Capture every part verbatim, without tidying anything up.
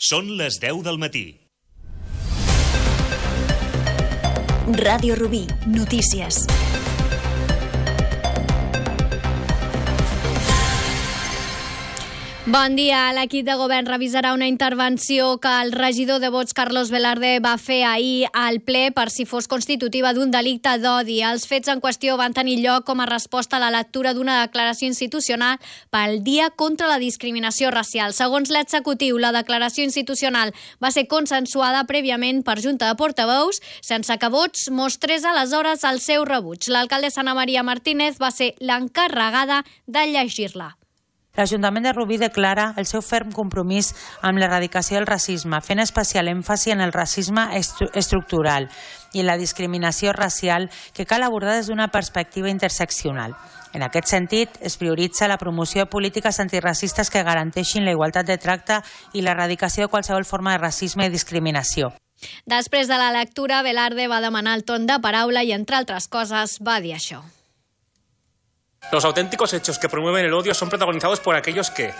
Són les deu del matí. Ràdio Rubí, notícies. Bon dia. L'equip de govern revisarà una intervenció que el regidor de Vots, Carlos Velarde, va fer ahir al ple per si fos constitutiva d'un delicte d'odi. Els fets en qüestió van tenir lloc com a resposta a la lectura d'una declaració institucional pel Dia contra la Discriminació Racial. Segons l'executiu, la declaració institucional va ser consensuada prèviament per Junta de Portaveus, sense que Vots mostrés aleshores el seu rebuig. L'alcaldessa Ana Maria Martínez va ser l'encarregada de llegir-la. L'Ajuntament de Rubí declara el seu ferm compromís amb l'erradicació del racisme, fent especial èmfasi en el racisme estru- estructural i en la discriminació racial que cal abordar des d'una perspectiva interseccional. En aquest sentit, es prioritza la promoció de polítiques antiracistes que garanteixin la igualtat de tracte i l'erradicació de qualsevol forma de racisme i discriminació. Després de la lectura, Velarde va demanar el torn de paraula i, entre altres coses, va dir això. Los auténticos hechos que promueven el odio son protagonizados por aquellos que,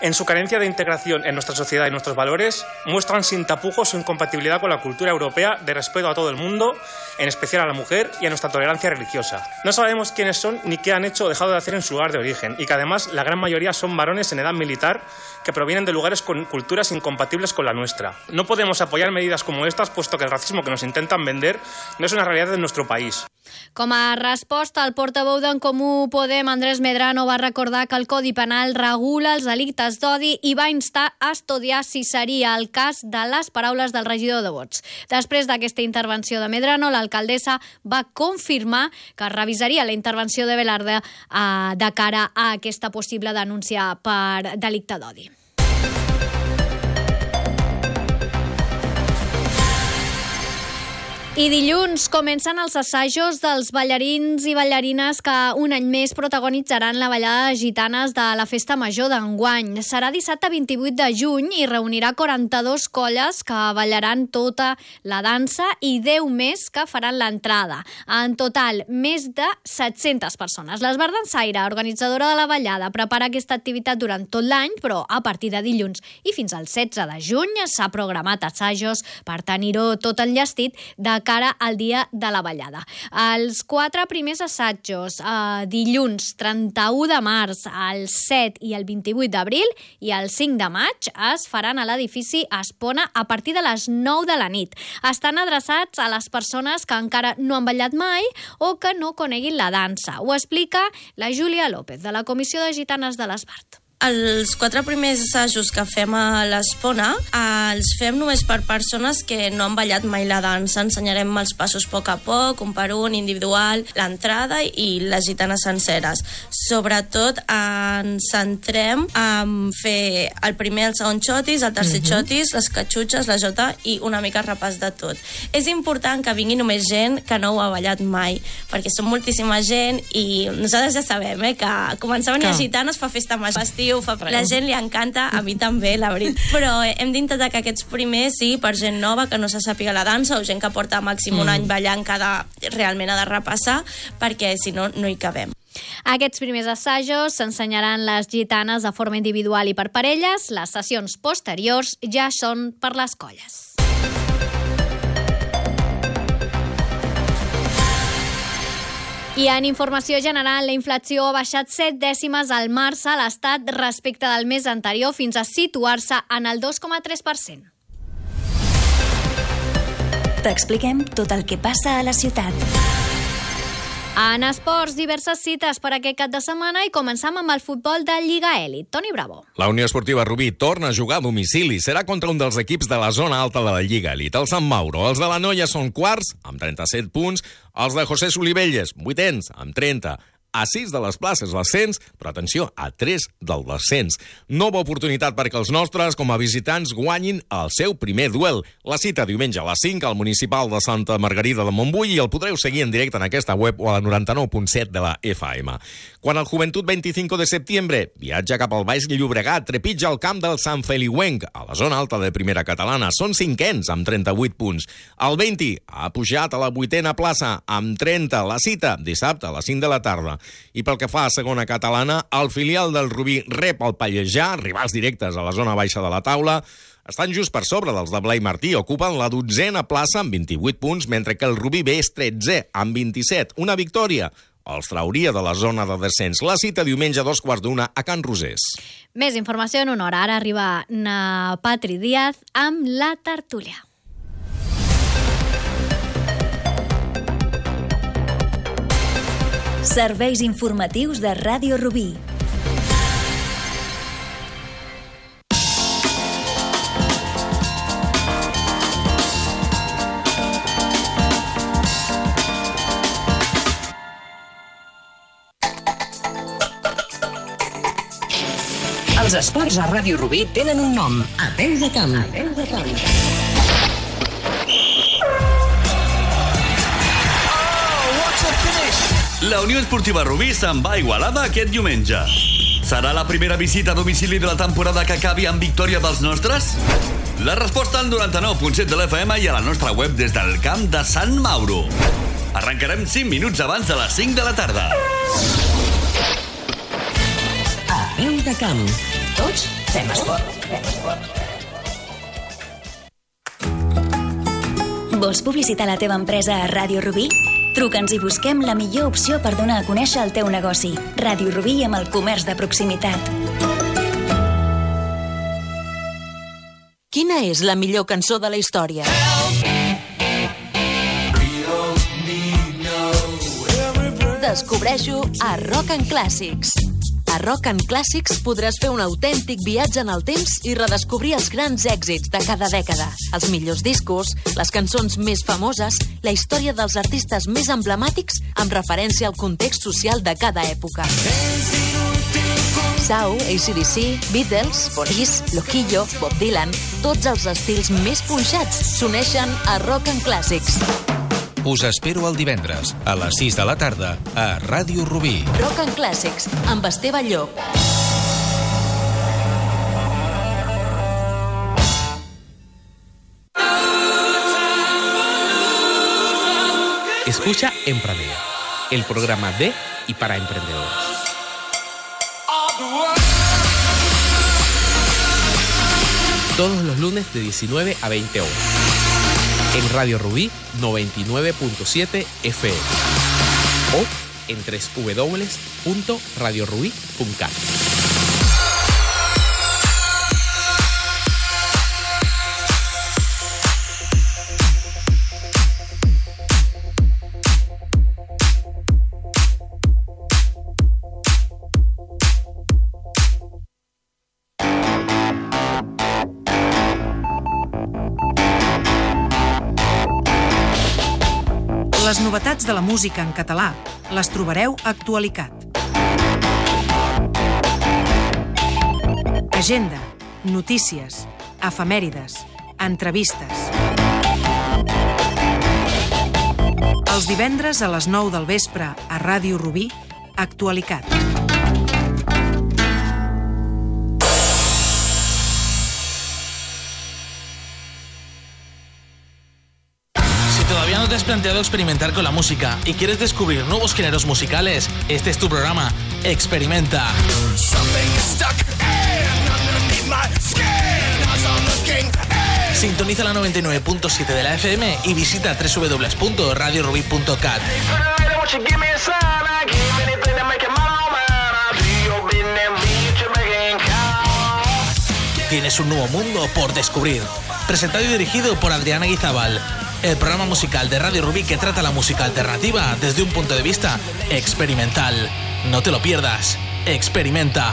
en su carencia de integración en nuestra sociedad y nuestros valores, muestran sin tapujos su incompatibilidad con la cultura europea de respeto a todo el mundo, en especial a la mujer y a nuestra tolerancia religiosa. No sabemos quiénes son ni qué han hecho o dejado de hacer en su lugar de origen, y que además la gran mayoría son varones en edad militar que provienen de lugares con culturas incompatibles con la nuestra. No podemos apoyar medidas como estas, puesto que el racismo que nos intentan vender no es una realidad de nuestro país. Com a resposta, el portaveu d'en Comú Podem, Andrés Medrano, va recordar que el Codi Penal regula els delictes d'odi i va instar a estudiar si seria el cas de les paraules del regidor de Vots. Després d'aquesta intervenció de Medrano, l'alcaldessa va confirmar que revisaria la intervenció de Velarde eh, de cara a aquesta possible denúncia per delicte d'odi. I dilluns comencen els assajos dels ballarins i ballarines que un any més protagonitzaran la ballada de gitanes de la Festa Major d'enguany. Serà dissabte vint-i-vuit de juny i reunirà quaranta-dues colles que ballaran tota la dansa i deu més que faran l'entrada. En total, més de set-centes persones. L'Esbart Dansaire, organitzadora de la ballada, prepara aquesta activitat durant tot l'any, però a partir de dilluns i fins al setze de juny s'ha programat assajos per tenir-ho tot enllestit de cara al dia de la ballada. Els quatre primers assajos, eh, dilluns trenta-u de març, el set i el vint-i-vuit d'abril i el cinc de maig, es faran a l'edifici Espona a partir de les nou de la nit. Estan adreçats a les persones que encara no han ballat mai o que no coneguin la dansa. Ho explica la Júlia López, de la Comissió de Gitanes de l'Esbart. Els quatre primers assajos que fem a l'Espona els fem només per persones que no han ballat mai la dansa. Ensenyarem els passos a poc a poc, un per un, individual, l'entrada i les gitanes senceres. Sobretot ens centrem en fer el primer, el segon xotis, el tercer uh-huh. xotis, les catxutxes, la jota i una mica repàs de tot. És important que vingui només gent que no ho ha ballat mai, perquè som moltíssima gent i nosaltres ja sabem eh, que començar a venir a gitanes fa festa major, la gent li encanta, a mi també, la veritat. Però hem d'intentar que aquests primers sí, per gent nova que no se sàpiga la dansa o gent que porta màxim un mm. any ballant que ha de, realment ha de repassar, perquè si no, no hi cabem. Aquests primers assajos s'ensenyaran les gitanes de forma individual i per parelles. Les sessions posteriors ja són per les colles. I en informació general, la inflació ha baixat set dècimes al març a l'Estat respecte del mes anterior fins a situar-se en el dos coma tres per cent. T'expliquem tot el que passa a la ciutat. En esports, diverses cites per aquest cap de setmana i començam amb el futbol de Lliga Elit. Toni Bravo. La Unió Esportiva Rubí torna a jugar a domicili. Serà contra un dels equips de la zona alta de la Lliga Elit, el Sant Mauro. Els de la Noia són quarts, amb trenta-set punts. Els de José Solivelles, vuitens, amb trenta. A sis de les places l'ascens, però atenció, a tres del descens. Nova oportunitat perquè els nostres, com a visitants, guanyin el seu primer duel. La cita diumenge a les cinc al Municipal de Santa Margarida de Montbui i el podreu seguir en directe en aquesta web o a la noranta-nou punt set de la F M. Quan el Joventut veinticinco de setembre viatja cap al Baix Llobregat, trepitja el camp del Sant Feliuenc, a la zona alta de Primera Catalana. Són cinquens, amb trenta-vuit punts. El vint ha pujat a la vuitena plaça, amb trenta. La cita, dissabte a les cinc de la tarda. I pel que fa a segona catalana, el filial del Rubí rep el Pallejà, rivals directes a la zona baixa de la taula. estan just per sobre dels de Blai Martí, ocupen la dotzena plaça amb vint-i-vuit punts, mentre que el Rubí B és tretzè amb vint-i-set. Una victòria els trauria de la zona de descens. La cita diumenge a dos quarts d'una a Can Rosés. Més informació en una hora. Ara arriba na Patri Díaz amb la tertúlia. Serveis informatius de Ràdio Rubí. Els esports a Ràdio Rubí tenen un nom: A peu de camp. A peu de camp. La Unió Esportiva Rubí se'n va a Igualada aquest diumenge. Serà la primera visita a domicili de la temporada que acabi amb victòria dels nostres? La resposta al noranta-nou punt set de l'F M i a la nostra web des del camp de Sant Mauro. Arrencarem cinc minuts abans de les cinc de la tarda. A peu de camp. Tots fem esport. Vols publicitar la teva empresa a Ràdio Rubí? Truca'ns i busquem la millor opció per donar a conèixer el teu negoci. Ràdio Rubí amb el comerç de proximitat. Quina és la millor cançó de la història? Descobreixo a Rock and Classics. A Rock and Classics podràs fer un autèntic viatge en el temps i redescobrir els grans èxits de cada dècada, els millors discos, les cançons més famoses, la història dels artistes més emblemàtics amb referència al context social de cada època. Sau, A C D C, Beatles, Police, Loquillo, Bob Dylan, tots els estils més punxats s'uneixen a Rock and Classics. Us espero el divendres, a les sis de la tarda, a Ràdio Rubí. Rock and Classics, amb Esteve Llop. Escucha Emprendedor, el programa de y para emprendedores. Todos los lunes de diecinueve a veinte horas. En Radio Rubí noventa y nueve punto siete F M o en doble u doble u doble u punto radio rubí punto cat. Les novetats de la música en català les trobareu a Actualicat. Agenda, notícies, efemèrides, entrevistes. Els divendres a les nou del vespre a Ràdio Rubí, Actualicat. ¿Todavía no te has planteado experimentar con la música y quieres descubrir nuevos géneros musicales? Este es tu programa. Experimenta. Sintoniza la noventa y nueve punto siete de la F M y visita doble u doble u doble u punto radio rubí punto cat. Tienes un nuevo mundo por descubrir. Presentado y dirigido por Adriana Guizábal. El programa musical de Radio Rubí que trata la música alternativa desde un punto de vista experimental. No te lo pierdas. Experimenta.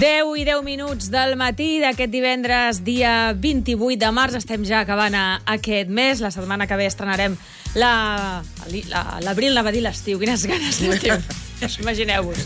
deu i deu minuts del matí d'aquest divendres, dia vint-i-vuit de març. Estem ja acabant aquest mes. La setmana que ve estrenarem la... l'abril, anava a dir l'estiu. Quines ganes d'estiu. Imagineu-vos.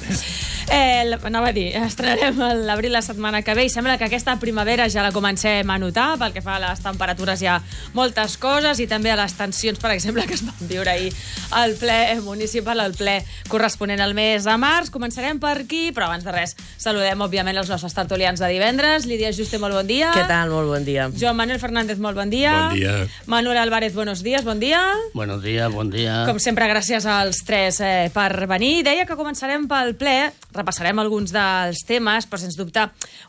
Eh, anava a dir, estrenarem l'abril la setmana que ve i sembla que aquesta primavera ja la comencem a notar. Pel que fa a les temperatures hi ha moltes coses i també a les tensions, per exemple, que es van viure ahir al ple municipal, al ple corresponent al mes de març. Començarem per aquí, però abans de res saludem, òbviament, els nostres tertulians de divendres. Lídia Juste, molt bon dia. Què tal? Molt bon dia. Joan Manuel Fernández, molt bon dia. Bon dia. Manuel Álvarez, buenos días, bon dia. Buenos días, bon dia. Com sempre, gràcies als tres eh, per venir. Deia que començarem pel ple, repassarem alguns dels temes, però sens dubte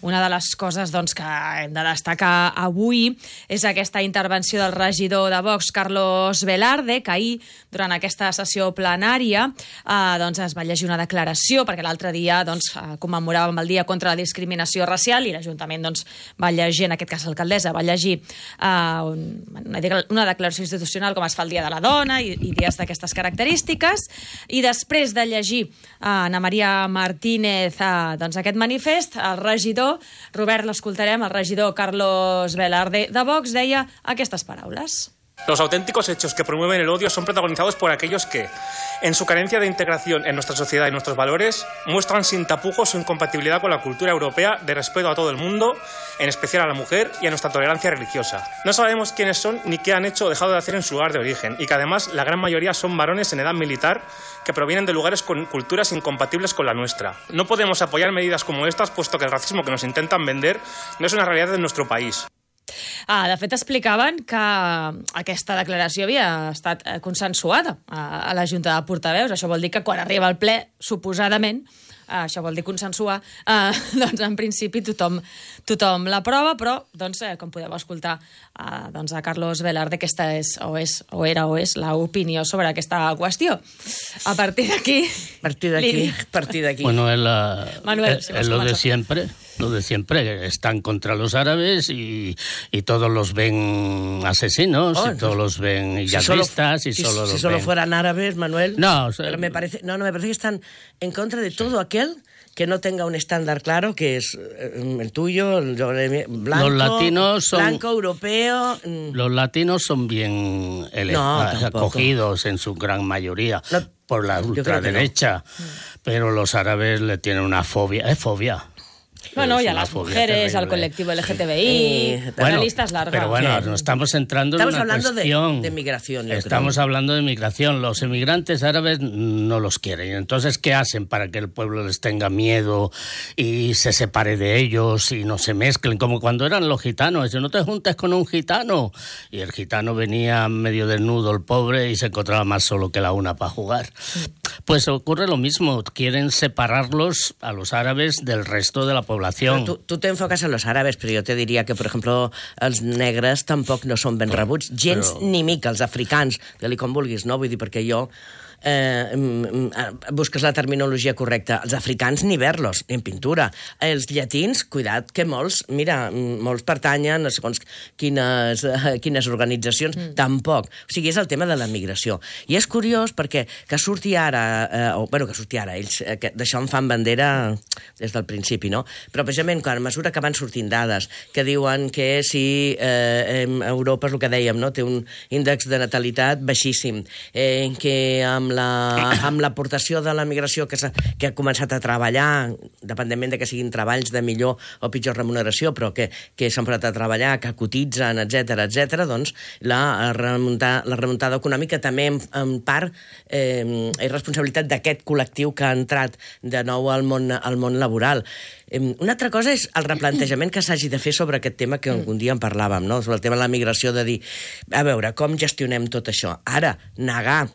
una de les coses doncs, que hem de destacar avui és aquesta intervenció del regidor de Vox, Carlos Velarde, que ahir, durant aquesta sessió plenària, eh, doncs es va llegir una declaració, perquè l'altre dia doncs, commemoràvem el Dia contra la Discriminació Racial i l'Ajuntament doncs, va llegir, en aquest cas l'alcaldessa, va llegir eh, una, una declaració institucional com es fa el Dia de la Dona i, i dies d'aquestes característiques, i després de llegir eh, Ana Maria Martínez a, doncs, aquest manifest, el regidor, Robert, l'escoltarem, el regidor Carlos Velarde de Vox deia aquestes paraules. Los auténticos hechos que promueven el odio son protagonizados por aquellos que, en su carencia de integración en nuestra sociedad y nuestros valores, muestran sin tapujos su incompatibilidad con la cultura europea de respeto a todo el mundo, en especial a la mujer y a nuestra tolerancia religiosa. No sabemos quiénes son ni qué han hecho o dejado de hacer en su lugar de origen, y que además la gran mayoría son varones en edad militar que provienen de lugares con culturas incompatibles con la nuestra. No podemos apoyar medidas como estas, puesto que el racismo que nos intentan vender no es una realidad de nuestro país. Ah, de fet, explicaven que aquesta declaració havia estat consensuada a, a la Junta de Portaveus. Això vol dir que quan arriba al ple, suposadament, eh, això vol dir consensuar, eh, doncs en principi tothom, tothom l'aprova, però, doncs, eh, com podeu escoltar eh, doncs a Carlos Velarde, aquesta és o, és, o era o és l'opinió sobre aquesta qüestió. A partir d'aquí... A partir d'aquí, a partir d'aquí. Bueno, es, la, Manuel, es, si es lo de siempre. Lo de siempre, están contra los árabes y, y todos los ven asesinos, oh, y todos los ven yihadistas, si y solo si, los si solo ven... fueran árabes, Manuel. No, o sea, pero me parece, no, no, me parece que están en contra de todo aquel que no tenga un estándar claro, que es el tuyo, el blanco, los latinos son, blanco, europeo. Los latinos son bien ele- no, acogidos en su gran mayoría no, por la ultraderecha, no. Pero los árabes le tienen una fobia, es fobia. Bueno, y a las mujeres, al colectivo L G T B I, sí. Bueno, la lista es larga. Pero bueno, nos estamos centrando estamos en una hablando cuestión. De, de migración. Yo estamos creo. hablando de migración. Los emigrantes árabes no los quieren. Entonces, ¿qué hacen para que el pueblo les tenga miedo y se separe de ellos y no se mezclen? Como cuando eran los gitanos. No te juntes con un gitano. Y el gitano venía medio desnudo, el pobre, y se encontraba más solo que la una para jugar. Pues ocurre lo mismo. Quieren separarlos a los árabes del resto de la población. Tú, tú te enfocas en los árabes, però jo te diria que, per exemple, els negres tampoc no són ben rebuts, gens però... ni mica, els africans, digue-li com vulguis, no? Vull dir, perquè jo eh, busques la terminologia correcta. Els africans ni ver-los, ni en pintura. Els llatins, cuidat, que molts, mira, molts pertanyen a segons quines, quines organitzacions, mm. tampoc. O sigui, és el tema de la migració. I és curiós perquè que surti ara, eh, o, bueno, que surti ara, ells eh, d'això en fan bandera des del principi, no? Però precisament, quan a mesura que van sortint dades que diuen que si eh, Europa, és el que dèiem, no? Té un índex de natalitat baixíssim, eh, que amb la, amb l'aportació de la migració que, que ha començat a treballar, dependentment de que siguin treballs de millor o pitjor remuneració, però que, que s'han posat a treballar, que cotitzen, etcètera, etcètera, doncs la, remuntar, la remuntada econòmica també en, en part eh, és responsabilitat d'aquest col·lectiu que ha entrat de nou al món, al món laboral. Una altra cosa és el replantejament que s'hagi de fer sobre aquest tema que algun dia en parlàvem, no? Sobre el tema de la migració, de dir, a veure, com gestionem tot això? Ara, negar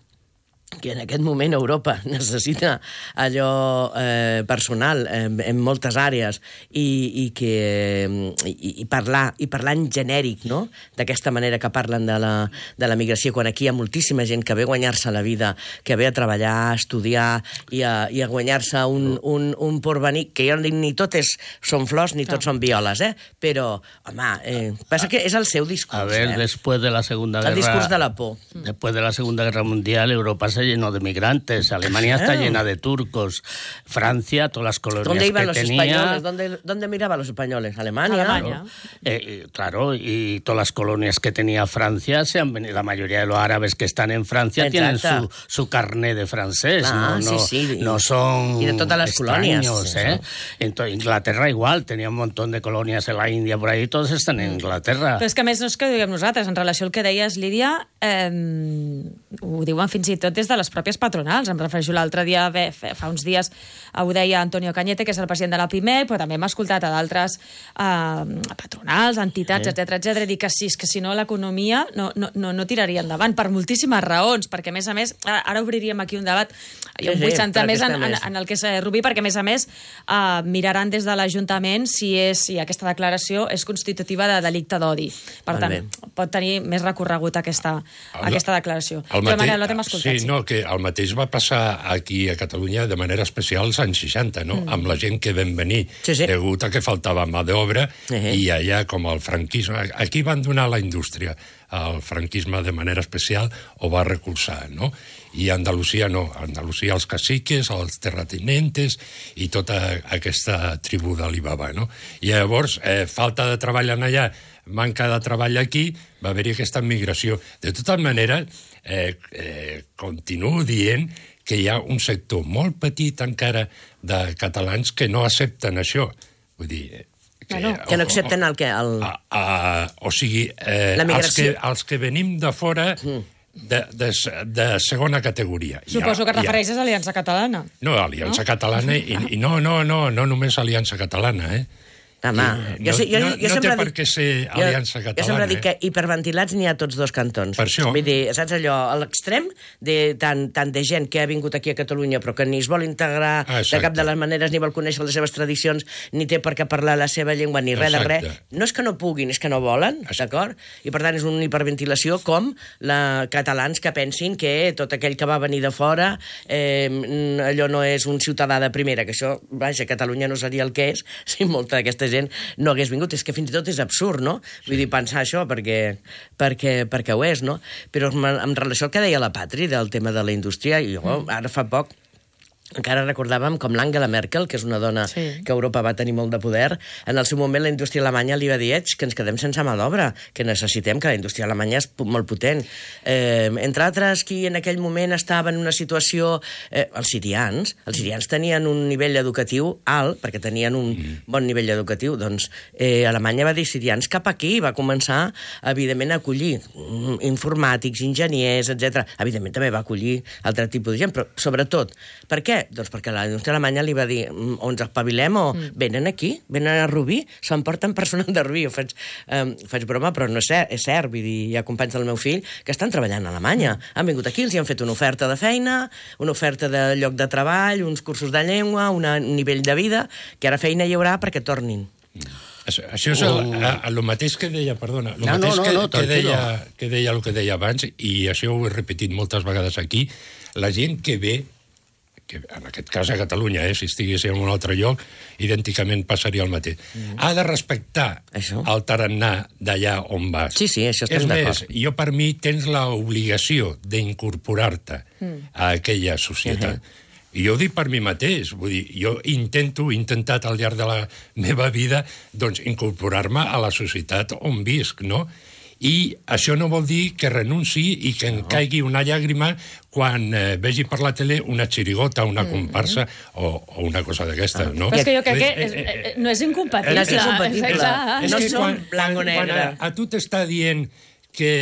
que en aquest moment Europa necessita allò eh, personal eh, en moltes àrees i, i, que, i, i, parlar, i parlar en genèric, no? D'aquesta manera que parlen de la, de la migració, quan aquí hi ha moltíssima gent que ve a guanyar-se la vida, que ve a treballar, a estudiar i a, i a guanyar-se un, un, un porvenir, que jo no dic ni tot és, són flors ni tot són violes, eh? Però, home, eh, passa que és el seu discurs. A ver, eh? después de la Segunda Guerra... El discurs de la por. Después de la Segunda Guerra Mundial, Europa se lleno de migrantes, Alemania está llena de turcos, Francia, todas las colonias ¿Dónde iban que los tenía... españoles? ¿Dónde, ¿Dónde miraban los españoles? ¿Alemania? Alemania. Claro. Eh, claro, y todas las colonias que tenía Francia, se han venido, la mayoría de los árabes que están en Francia Exacto. tienen su, su carné de francés, ah, no, no, sí, sí. no son y de todas las extraños, colonias. ¿eh? Entonces, Inglaterra igual, tenía un montón de colonias en la India por ahí, todos están en Inglaterra. Però és que a més no és que ho diguem nosaltres, en relació al que deies, Lídia, eh, ho diuen fins i tot des de les pròpies patronals. Em refereixo l'altre dia, bé, fa uns dies ho deia Antonio Cañete, que és el president de la PIMEC, però també hem escoltat a d'altres eh, patronals, entitats, etcètera, etcètera, i dir que sí, que si no l'economia no, no, no, no tiraria endavant, per moltíssimes raons, perquè a més a més, ara obriríem aquí un debat, jo em vull centrar més en, en, en el que és Rubí, perquè a més a més eh, miraran des de l'Ajuntament si, és, si aquesta declaració és constitutiva de delicte d'odi. Per tant, pot tenir més recorregut aquesta, el, aquesta declaració. El mateix, Manel, no t'hem escoltat. Sí, no, que el mateix va passar aquí a Catalunya de manera especial als anys seixanta, no? Mm. Amb la gent que vam venir, sí, sí. degut a que faltava mà d'obra, uh -huh. i allà com el franquisme... Aquí van donar la indústria, el franquisme de manera especial ho va recolzar, no? I a Andalusia no, a Andalusia els caciques, els terratinentes i tota aquesta tribu d'Alibaba, no? I llavors, eh, falta de treball en allà, manca de treball aquí, va haver-hi aquesta migració. De tota manera, eh, eh, continuo dient que hi ha un sector molt petit encara de catalans que no accepten això. Vull dir... Que no, que no accepten el que... El... A, a, o sigui, eh, els, que, els que venim de fora... Mm. De, de, de segona categoria. Suposo que et refereixes a Aliança Catalana. No, Aliança no? Catalana, i, i no, no, no, no només Aliança Catalana, eh? Home, I, jo, jo, no, jo no té per què ser Aliança jo, Catalana. Jo sempre dic eh? que hiperventilats n'hi ha a tots dos cantons. Per això. Vull dir, saps allò, a l'extrem de tant, tant de gent que ha vingut aquí a Catalunya però que ni es vol integrar ah, de cap de les maneres, ni vol conèixer les seves tradicions, ni té per què parlar la seva llengua, ni res de res. No és que no puguin, és que no volen, d'acord? I per tant és una hiperventilació com la catalans que pensin que tot aquell que va venir de fora eh, allò no és un ciutadà de primera, que això, vaja, Catalunya no seria el que és si molta d'aquesta gent no hagués vingut. És que fins i tot és absurd, no? Sí. Vull dir, pensar això, perquè, perquè, perquè ho és, no? Però en relació al que deia la Patri, del tema de la indústria, jo mm. ara fa poc encara recordàvem com l'Angela Merkel, que és una dona sí. que a Europa va tenir molt de poder, en el seu moment la indústria alemanya li va dir que ens quedem sense mà d'obra, que necessitem, que la indústria alemanya és molt potent. Eh, entre altres, qui en aquell moment estava en una situació... Eh, els sirians. Els sirians tenien un nivell educatiu alt, perquè tenien un mm. bon nivell educatiu. Doncs eh, Alemanya va dir sirians cap aquí, va començar, evidentment, a acollir informàtics, enginyers, etcètera. Evidentment, també va acollir altre tipus de gent, però sobretot, per què? Doncs perquè la indústria alemanya li va dir o ens espavilem o mm. venen aquí, venen a Rubí, s'emporten persones de Rubí. Jo faig, eh, faig broma, però no és cert, és cert. Vull dir, hi ha companys del meu fill que estan treballant a Alemanya. Mm. Han vingut aquí, els hi han fet una oferta de feina, una oferta de lloc de treball, uns cursos de llengua, una, un nivell de vida, que ara feina hi haurà perquè tornin. Mm. Això, això és el, a, a lo mateix que deia, perdona, lo no, mateix no, no, que, no, que, deia, que deia el que deia abans, i això ho he repetit moltes vegades aquí, la gent que ve, que en aquest cas a Catalunya, eh, si estigués en un altre lloc, idènticament passaria el mateix. Mm. Ha de respectar això? El tarannà d'allà on vas. Sí, sí, això estem d'acord. És més, jo per mi tens l'obligació d'incorporar-te mm. a aquella societat. Uh-huh. I jo ho dic per mi mateix, vull dir, jo intento, he intentat al llarg de la meva vida, doncs, incorporar-me a la societat on visc, no? I això no vol dir que renunciï i que em no. caigui una llàgrima quan eh, vegi per la tele una xirigota, una comparsa mm-hmm. o, o una cosa d'aquesta, ah. no? Però és que jo crec que és, eh, no és incompatible. No és incompatible. És no que som quan, blanc o negre. Quan a, a tu t'està dient que,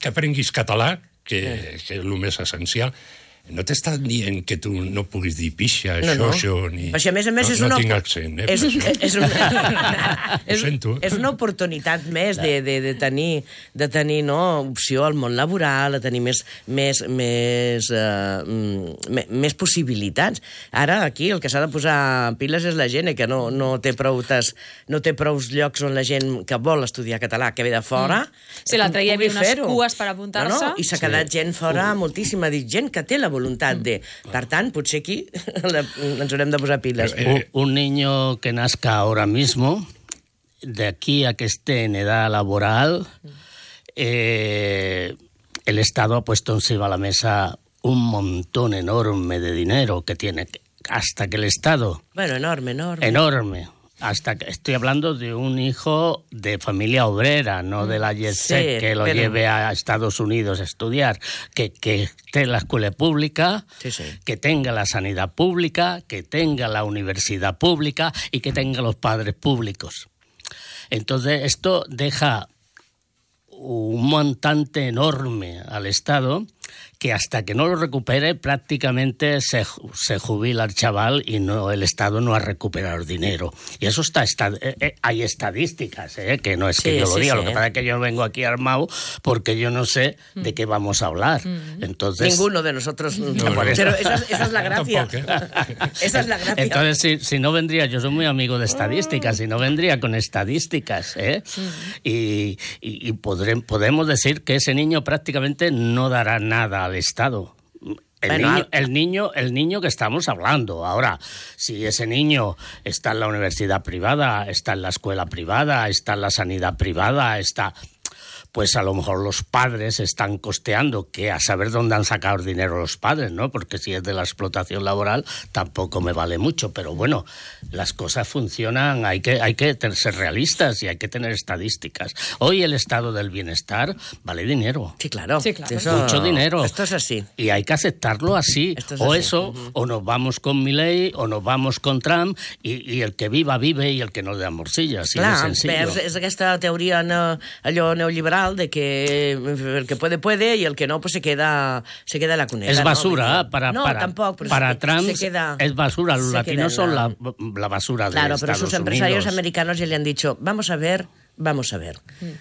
que aprenguis català, que, que és el més essencial, no t'està dient que tu no puguis dir pixa, no, això, no. això, ni... Això, a més a més, no, és una... no tinc accent, eh? És, és, una... és, sento. és una oportunitat més de, de, de tenir, de tenir no, opció al món laboral, de tenir més, més, més, uh, més possibilitats. Ara, aquí, el que s'ha de posar piles és la gent, eh, que no, no, té proutes, no té prous llocs on la gent que vol estudiar català, que ve de fora... Mm. Sí, l'altre dia hi havia unes cues per apuntar-se. No, no, i s'ha quedat sí. gent fora, uh. moltíssima, dit, gent que té la voluntat de... Per tant, potser aquí ens haurem de posar piles. Un, un niño que nazca ahora mismo, de aquí a que esté en edad laboral, eh, el Estado ha puesto encima de la mesa un montón enorme de dinero que tiene, hasta que el Estado... Bueno, enorme, enorme. Enorme. Hasta que estoy hablando de un hijo de familia obrera, no de la jet set Sí, que lo pero- lleve a Estados Unidos a estudiar, que, que esté en la escuela pública, Sí, sí. que tenga la sanidad pública, que tenga la universidad pública y que tenga los padres públicos. Entonces, esto deja un montante enorme al Estado que hasta que no lo recupere prácticamente se, ju- se jubila el chaval y no el Estado no ha recuperado el dinero. Y eso está, está eh, eh, hay estadísticas, eh, que no es que Sí, yo lo sí, diga, sí. lo que pasa es que yo vengo aquí armado porque yo no sé de qué vamos a hablar. Entonces, Ninguno de nosotros. No, por eso. Pero esa, es- esa es la gracia. Esa es la gracia. Entonces, si, si no vendría, yo soy muy amigo de estadísticas, si no vendría con estadísticas, ¿eh? Y, y, y podré- podemos decir que ese niño prácticamente no dará nada al Estado. El, Bueno, niño, al- el, niño, el niño que estamos hablando. Ahora, si ese niño está en la universidad privada, está en la escuela privada, está en la sanidad privada, está... pues a lo mejor los padres están costeando, que a saber dónde han sacado el dinero los padres, ¿no? Porque si es de la explotación laboral, tampoco me vale mucho. Pero bueno, las cosas funcionan, hay que, hay que tener- ser realistas y hay que tener estadísticas. Hoy el estado del bienestar vale dinero. Sí, claro. Sí, claro. Eso- Mucho dinero. Esto es así. Y hay que aceptarlo así. Esto es o así. eso, o nos vamos con Milei, o nos vamos con Trump, y, y el que viva, vive, y el que no le da morcilla. Así Clar, de sencillo. és, és aquesta teoria no, allò neoliberal de que el que puede, puede y el que no, pues se queda, se queda en la cuneta. Es ¿no? basura, De- para, no, para, tampoco, pero para se- Trump se queda, es basura. Los se latinos queda en son la- la, la basura Claro, de pero Estados sus empresarios Unidos. americanos ya le han dicho, vamos a ver, vamos a ver.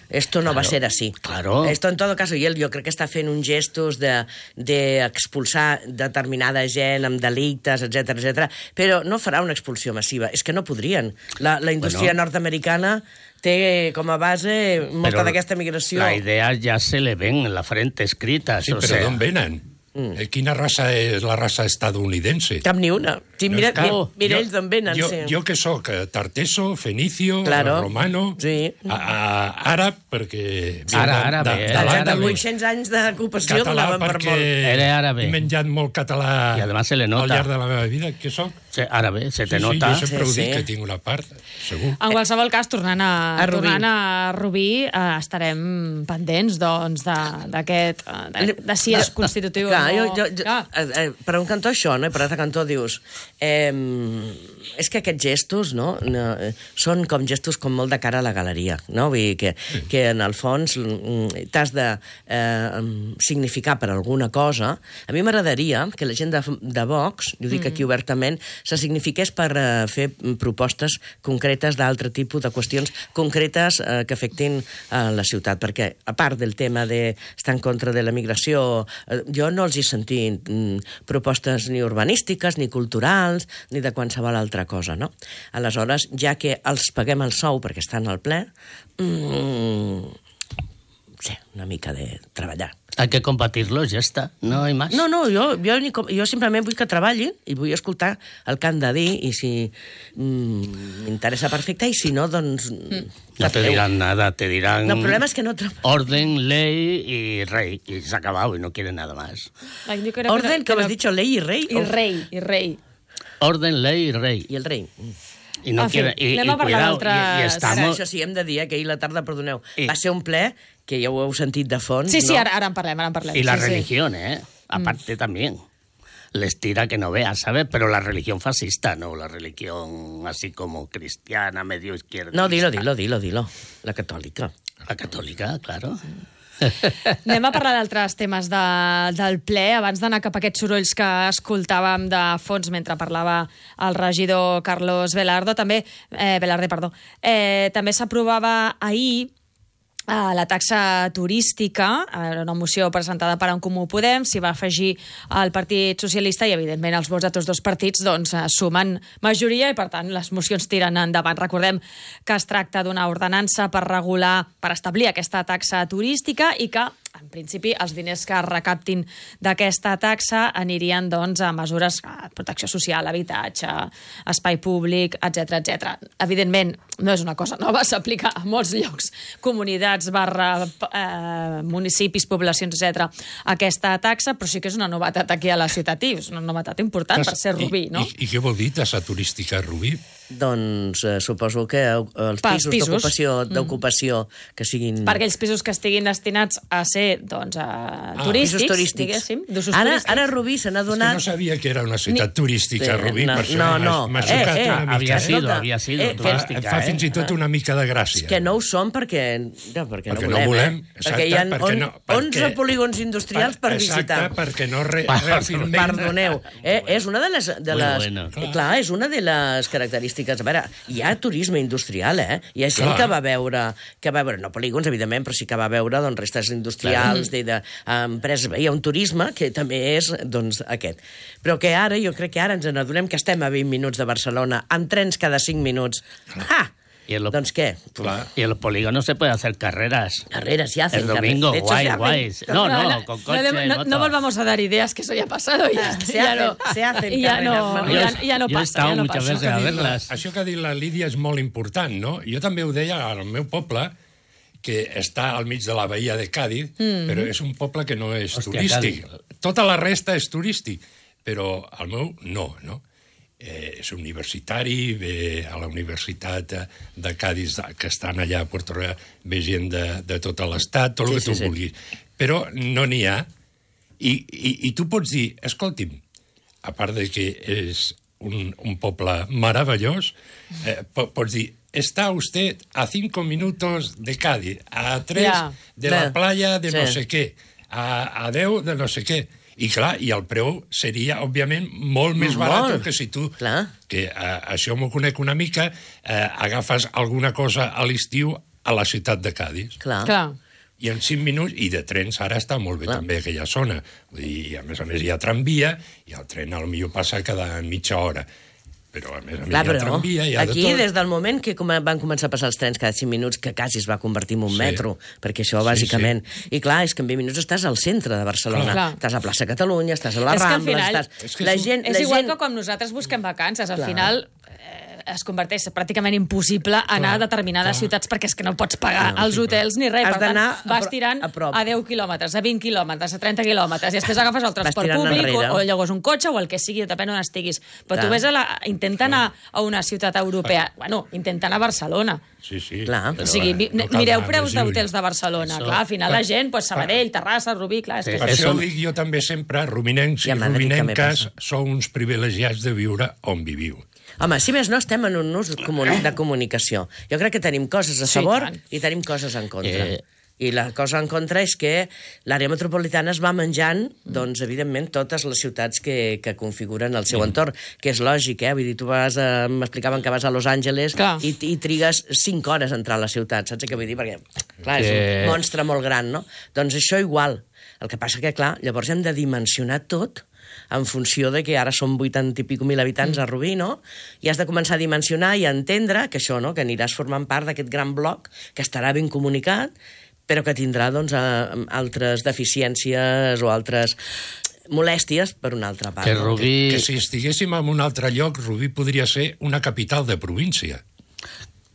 Esto no va a Claro, ser así. claro. Esto, en todo caso, i ell jo crec que està fent uns gestos de, de expulsar determinada gent amb delictes, etc etc. però no farà una expulsió massiva. És que no podrien. La, la indústria Bueno. nord-americana té com a base molta Però d'aquesta migració. La idea ya se le ven en la frente escritas. Sí, o però sea, d'on venen? Eh, Quina raça és la raça estadounidense? Cap ni una. Sí, mira, Clar, mira, mira jo- ells d'on venen. Jo, sí. jo que sóc eh, tarteso, fenicio, Claro. romano, Sí. a, a, àrab, perquè... Ara, de- àrabe, de- eh? de Dels l'Àndalus. vuit-cents anys d'ocupació Català donaven per perquè molt. Era àrabe. he menjat molt català Y además se le al nota. llarg de la meva vida. Què sóc? Sí, árabe, se te sí, nota. Sí, jo sempre Sí, ho dic, sí. que tinc una part, segur. En qualsevol cas, tornant a, A Rubí. tornant a Rubí, eh, estarem pendents doncs, de- d'aquest... De, de, de si és constitutiu Clar, o no. jo, jo, jo, Clar. eh, eh, per un cantó això, no? I per l'altre cantó dius... Eh, és que aquests gestos, no? no eh, són com gestos com molt de cara a la galeria, no? Vull dir que, que en el fons mm, t'has de eh, significar per alguna cosa. A mi m'agradaria que la gent de, de Vox, jo dic aquí obertament, se signifiqués per eh, fer propostes concretes d'altre tipus de qüestions concretes eh, que afectin a la ciutat, perquè a part del tema d'estar en contra de la migració, eh, jo no els he sentit mm, propostes ni urbanístiques, ni culturals, ni de qualsevol altra cosa, no? Aleshores, ja que els paguem el sou perquè estan al ple, mm, sí, una mica de treballar. Hay que combatirlos, ya está. No hay más. No, no, jo, jo, ni com, jo simplement vull que treballin i vull escoltar el que han de dir i si mm, m'interessa perfecte i si no, doncs... No te dirán nada, te dirán... No, el problema és que no... tra- Orden, ley y rey. Y se ha acabado y no quieren nada más. Ay, yo creo Orden, que com has dicho, ley i rei? I rei, i rei. Orden, ley y rey. I el rei. Y no En fi, quieren... Y, anem y a parlar cuidado, y, d'altres- y Ara, estamos... això sí, hem de dir eh, que ahir la tarda, perdoneu, I- va ser un ple que ja ho heu sentit de fons, Sí, sí, no? ara, ara en parlem, ara en parlem. Y la sí, sí. religión, ¿eh? Aparte también. Les tira que no veas, ¿sabes? Pero la religión fascista, no. La religión así como cristiana, medio izquierda. No, dilo, dilo, dilo, dilo. La catòlica. La católica, claro. Anem a parlar d'altres temes de, del ple, abans d'anar cap a aquests sorolls que escoltàvem de fons mentre parlava el regidor Carlos Velardo, també, eh, Velarde, perdó. Eh, també s'aprovava ahir a la taxa turística, era una moció presentada per En Comú Podem, s'hi va afegir el Partit Socialista i, evidentment, els vots de tots dos partits doncs, sumen majoria i, per tant, les mocions tiren endavant. Recordem que es tracta d'una ordenança per regular, per establir aquesta taxa turística i que en principi, els diners que es recaptin d'aquesta taxa anirien doncs, a mesures de protecció social, habitatge, espai públic, etcètera, etcètera. Evidentment, no és una cosa nova, s'aplica a molts llocs, comunitats, barra, eh, municipis, poblacions, etcètera, aquesta taxa, però sí que és una novetat aquí a la ciutat, i és una novetat important per ser Rubí, no? I, i què vol dir tassa turística a Rubí? Doncs eh, suposo que els Pels pisos, pisos. d'ocupació Mm. d'ocupació que siguin... Per aquells pisos que estiguin destinats a ser doncs, a Ah, turístics, pisos turístics. diguéssim, d'usos Ara, turístics. ara Rubí se n'ha donat... És que no sabia que era una ciutat Ni- turística, Sí, Rubí, no, per això no, m'ha- no. m'ha Eh, xocat eh, una mica. Havia sido, Escolta, havia sido eh, turística, Fa, fa eh? fins i tot una mica de gràcia. Que no ho són perquè, no, perquè, Perquè no no volem, volem, eh? exacte, perquè hi ha perquè on, no- perquè- onze polígons industrials per visitar. Exacte, perquè no re, reafirmem... Perdoneu, eh, és una de les... De Muy les bueno. clar. clar, és una de les característiques. A veure, hi ha turisme industrial, eh? Hi ha gent Clar. que va veure, que va veure, no polígons, evidentment, però sí que va veure doncs, restes industrials, de, de, empreses. Hi ha un turisme que també és doncs, aquest. Però que ara, jo crec que ara ens n'adonem que estem a vint minuts de Barcelona, amb trens cada cinc minuts. Ah! Y en, lo, Doncs què? y en los polígonos se pueden hacer carreras. Carreras se hacen. El domingo, carreras. De hecho, guay, se hacen. guay. No, no, con coche, no, no, moto. no volvamos a dar ideas, que eso ya ha pasado. Y ya, Se ya hacen, no, se hacen y ya carreras, no, Manuel. ya, ya no Yo he pasa. estado ya no muchas pasa. veces a verlas. Això que ha dit la Lídia és molt important, no? Jo també ho deia al meu poble, que està al mig de la bahia de Càdiz, Mm. però és un poble que no és Hòstia, turístic. Càdiz. Tota la resta és turístic, però el meu no, no? Eh, és universitari, ve a la Universitat de, de Càdiz, que estan allà a Puerto Real, ve gent de, de tot l'estat, tot el Sí, que tu sí, sí. vulguis. Però no n'hi ha. I, i, I tu pots dir, escolti'm, a part de que és un, un poble meravellós, eh, po- pots dir, está usted a cinco minutos de Cádiz, a tres Ja. de la Ja. playa de no Sí. sé què, a, a deu de no sé què. I clar, i el preu seria, òbviament, molt més Molt. barat que si tu, Clar. que eh, això m'ho conec una mica, eh, agafes alguna cosa a l'estiu a la ciutat de Cádiz. Clar. Clar. I en cinc minuts, i de trens ara està molt bé Clar. també aquella zona. Vull dir, a més a més hi ha tramvia, i el tren potser passa cada mitja hora. Però a més a més Clar, hi ha però tramvia, hi ha aquí, de tot. des del moment que com van començar a passar els trens cada cinc minuts, que quasi es va convertir en un Sí. metro, perquè això, Sí, bàsicament... I clar, és que en vint minuts estàs al centre de Barcelona. Clar. Estàs a plaça Catalunya, estàs a la És que al Rambla, final estàs... És que la és un- gent, És la igual gent... que quan nosaltres busquem vacances. Al Clar. final eh, es converteix pràcticament impossible anar a determinades ciutats perquè és que no pots pagar No, els sí, hotels ni res. Has Per tant, d'anar a vas pro- tirant a prop. a deu quilòmetres, a vint quilòmetres, a trenta quilòmetres, i després agafes el transport tirant públic o, enrere. o llavors un cotxe o el que sigui, depèn on estiguis. Però Clar. tu ves a la, intenta anar a una ciutat europea, bueno, intenta anar a Barcelona. Sí, sí. Clar. O sigui, mi, no cal mireu anar preus més lluny. d'hotels de Barcelona. Això- Clar, al final la gent, pues, Sabadell, Terrassa, Rubí, clar, és Sí. que Per és... això Eso- ho dic jo també sempre, ruminencs I i a Madrid també ruminenques passa. sou uns privilegiats de viure on viviu. Home, si més no, estem en un ús comuni- de comunicació. Jo crec que tenim coses a Sí, favor tant. i tenim coses en contra. Eh. I la cosa en contra és que l'àrea metropolitana es va menjant, doncs, evidentment, totes les ciutats que, que configuren el seu entorn, que és lògic, eh? Vull dir, tu vas a... m'explicaven que vas a Los Angeles Clar. i, i trigues cinc hores a entrar a la ciutat, saps què vull dir? Perquè, clar, és Que- un monstre molt gran, no? Doncs això igual. El que passa que, clar, llavors hem de dimensionar tot en funció de que ara són vuitanta i pico mil habitants a Rubí, no? I has de començar a dimensionar i a entendre que això, no?, que aniràs formant part d'aquest gran bloc que estarà ben comunicat, però que tindrà, doncs, a, altres deficiències o altres molèsties per una altra part. Que no? Rubí... Que si estiguéssim en un altre lloc, Rubí podria ser una capital de província.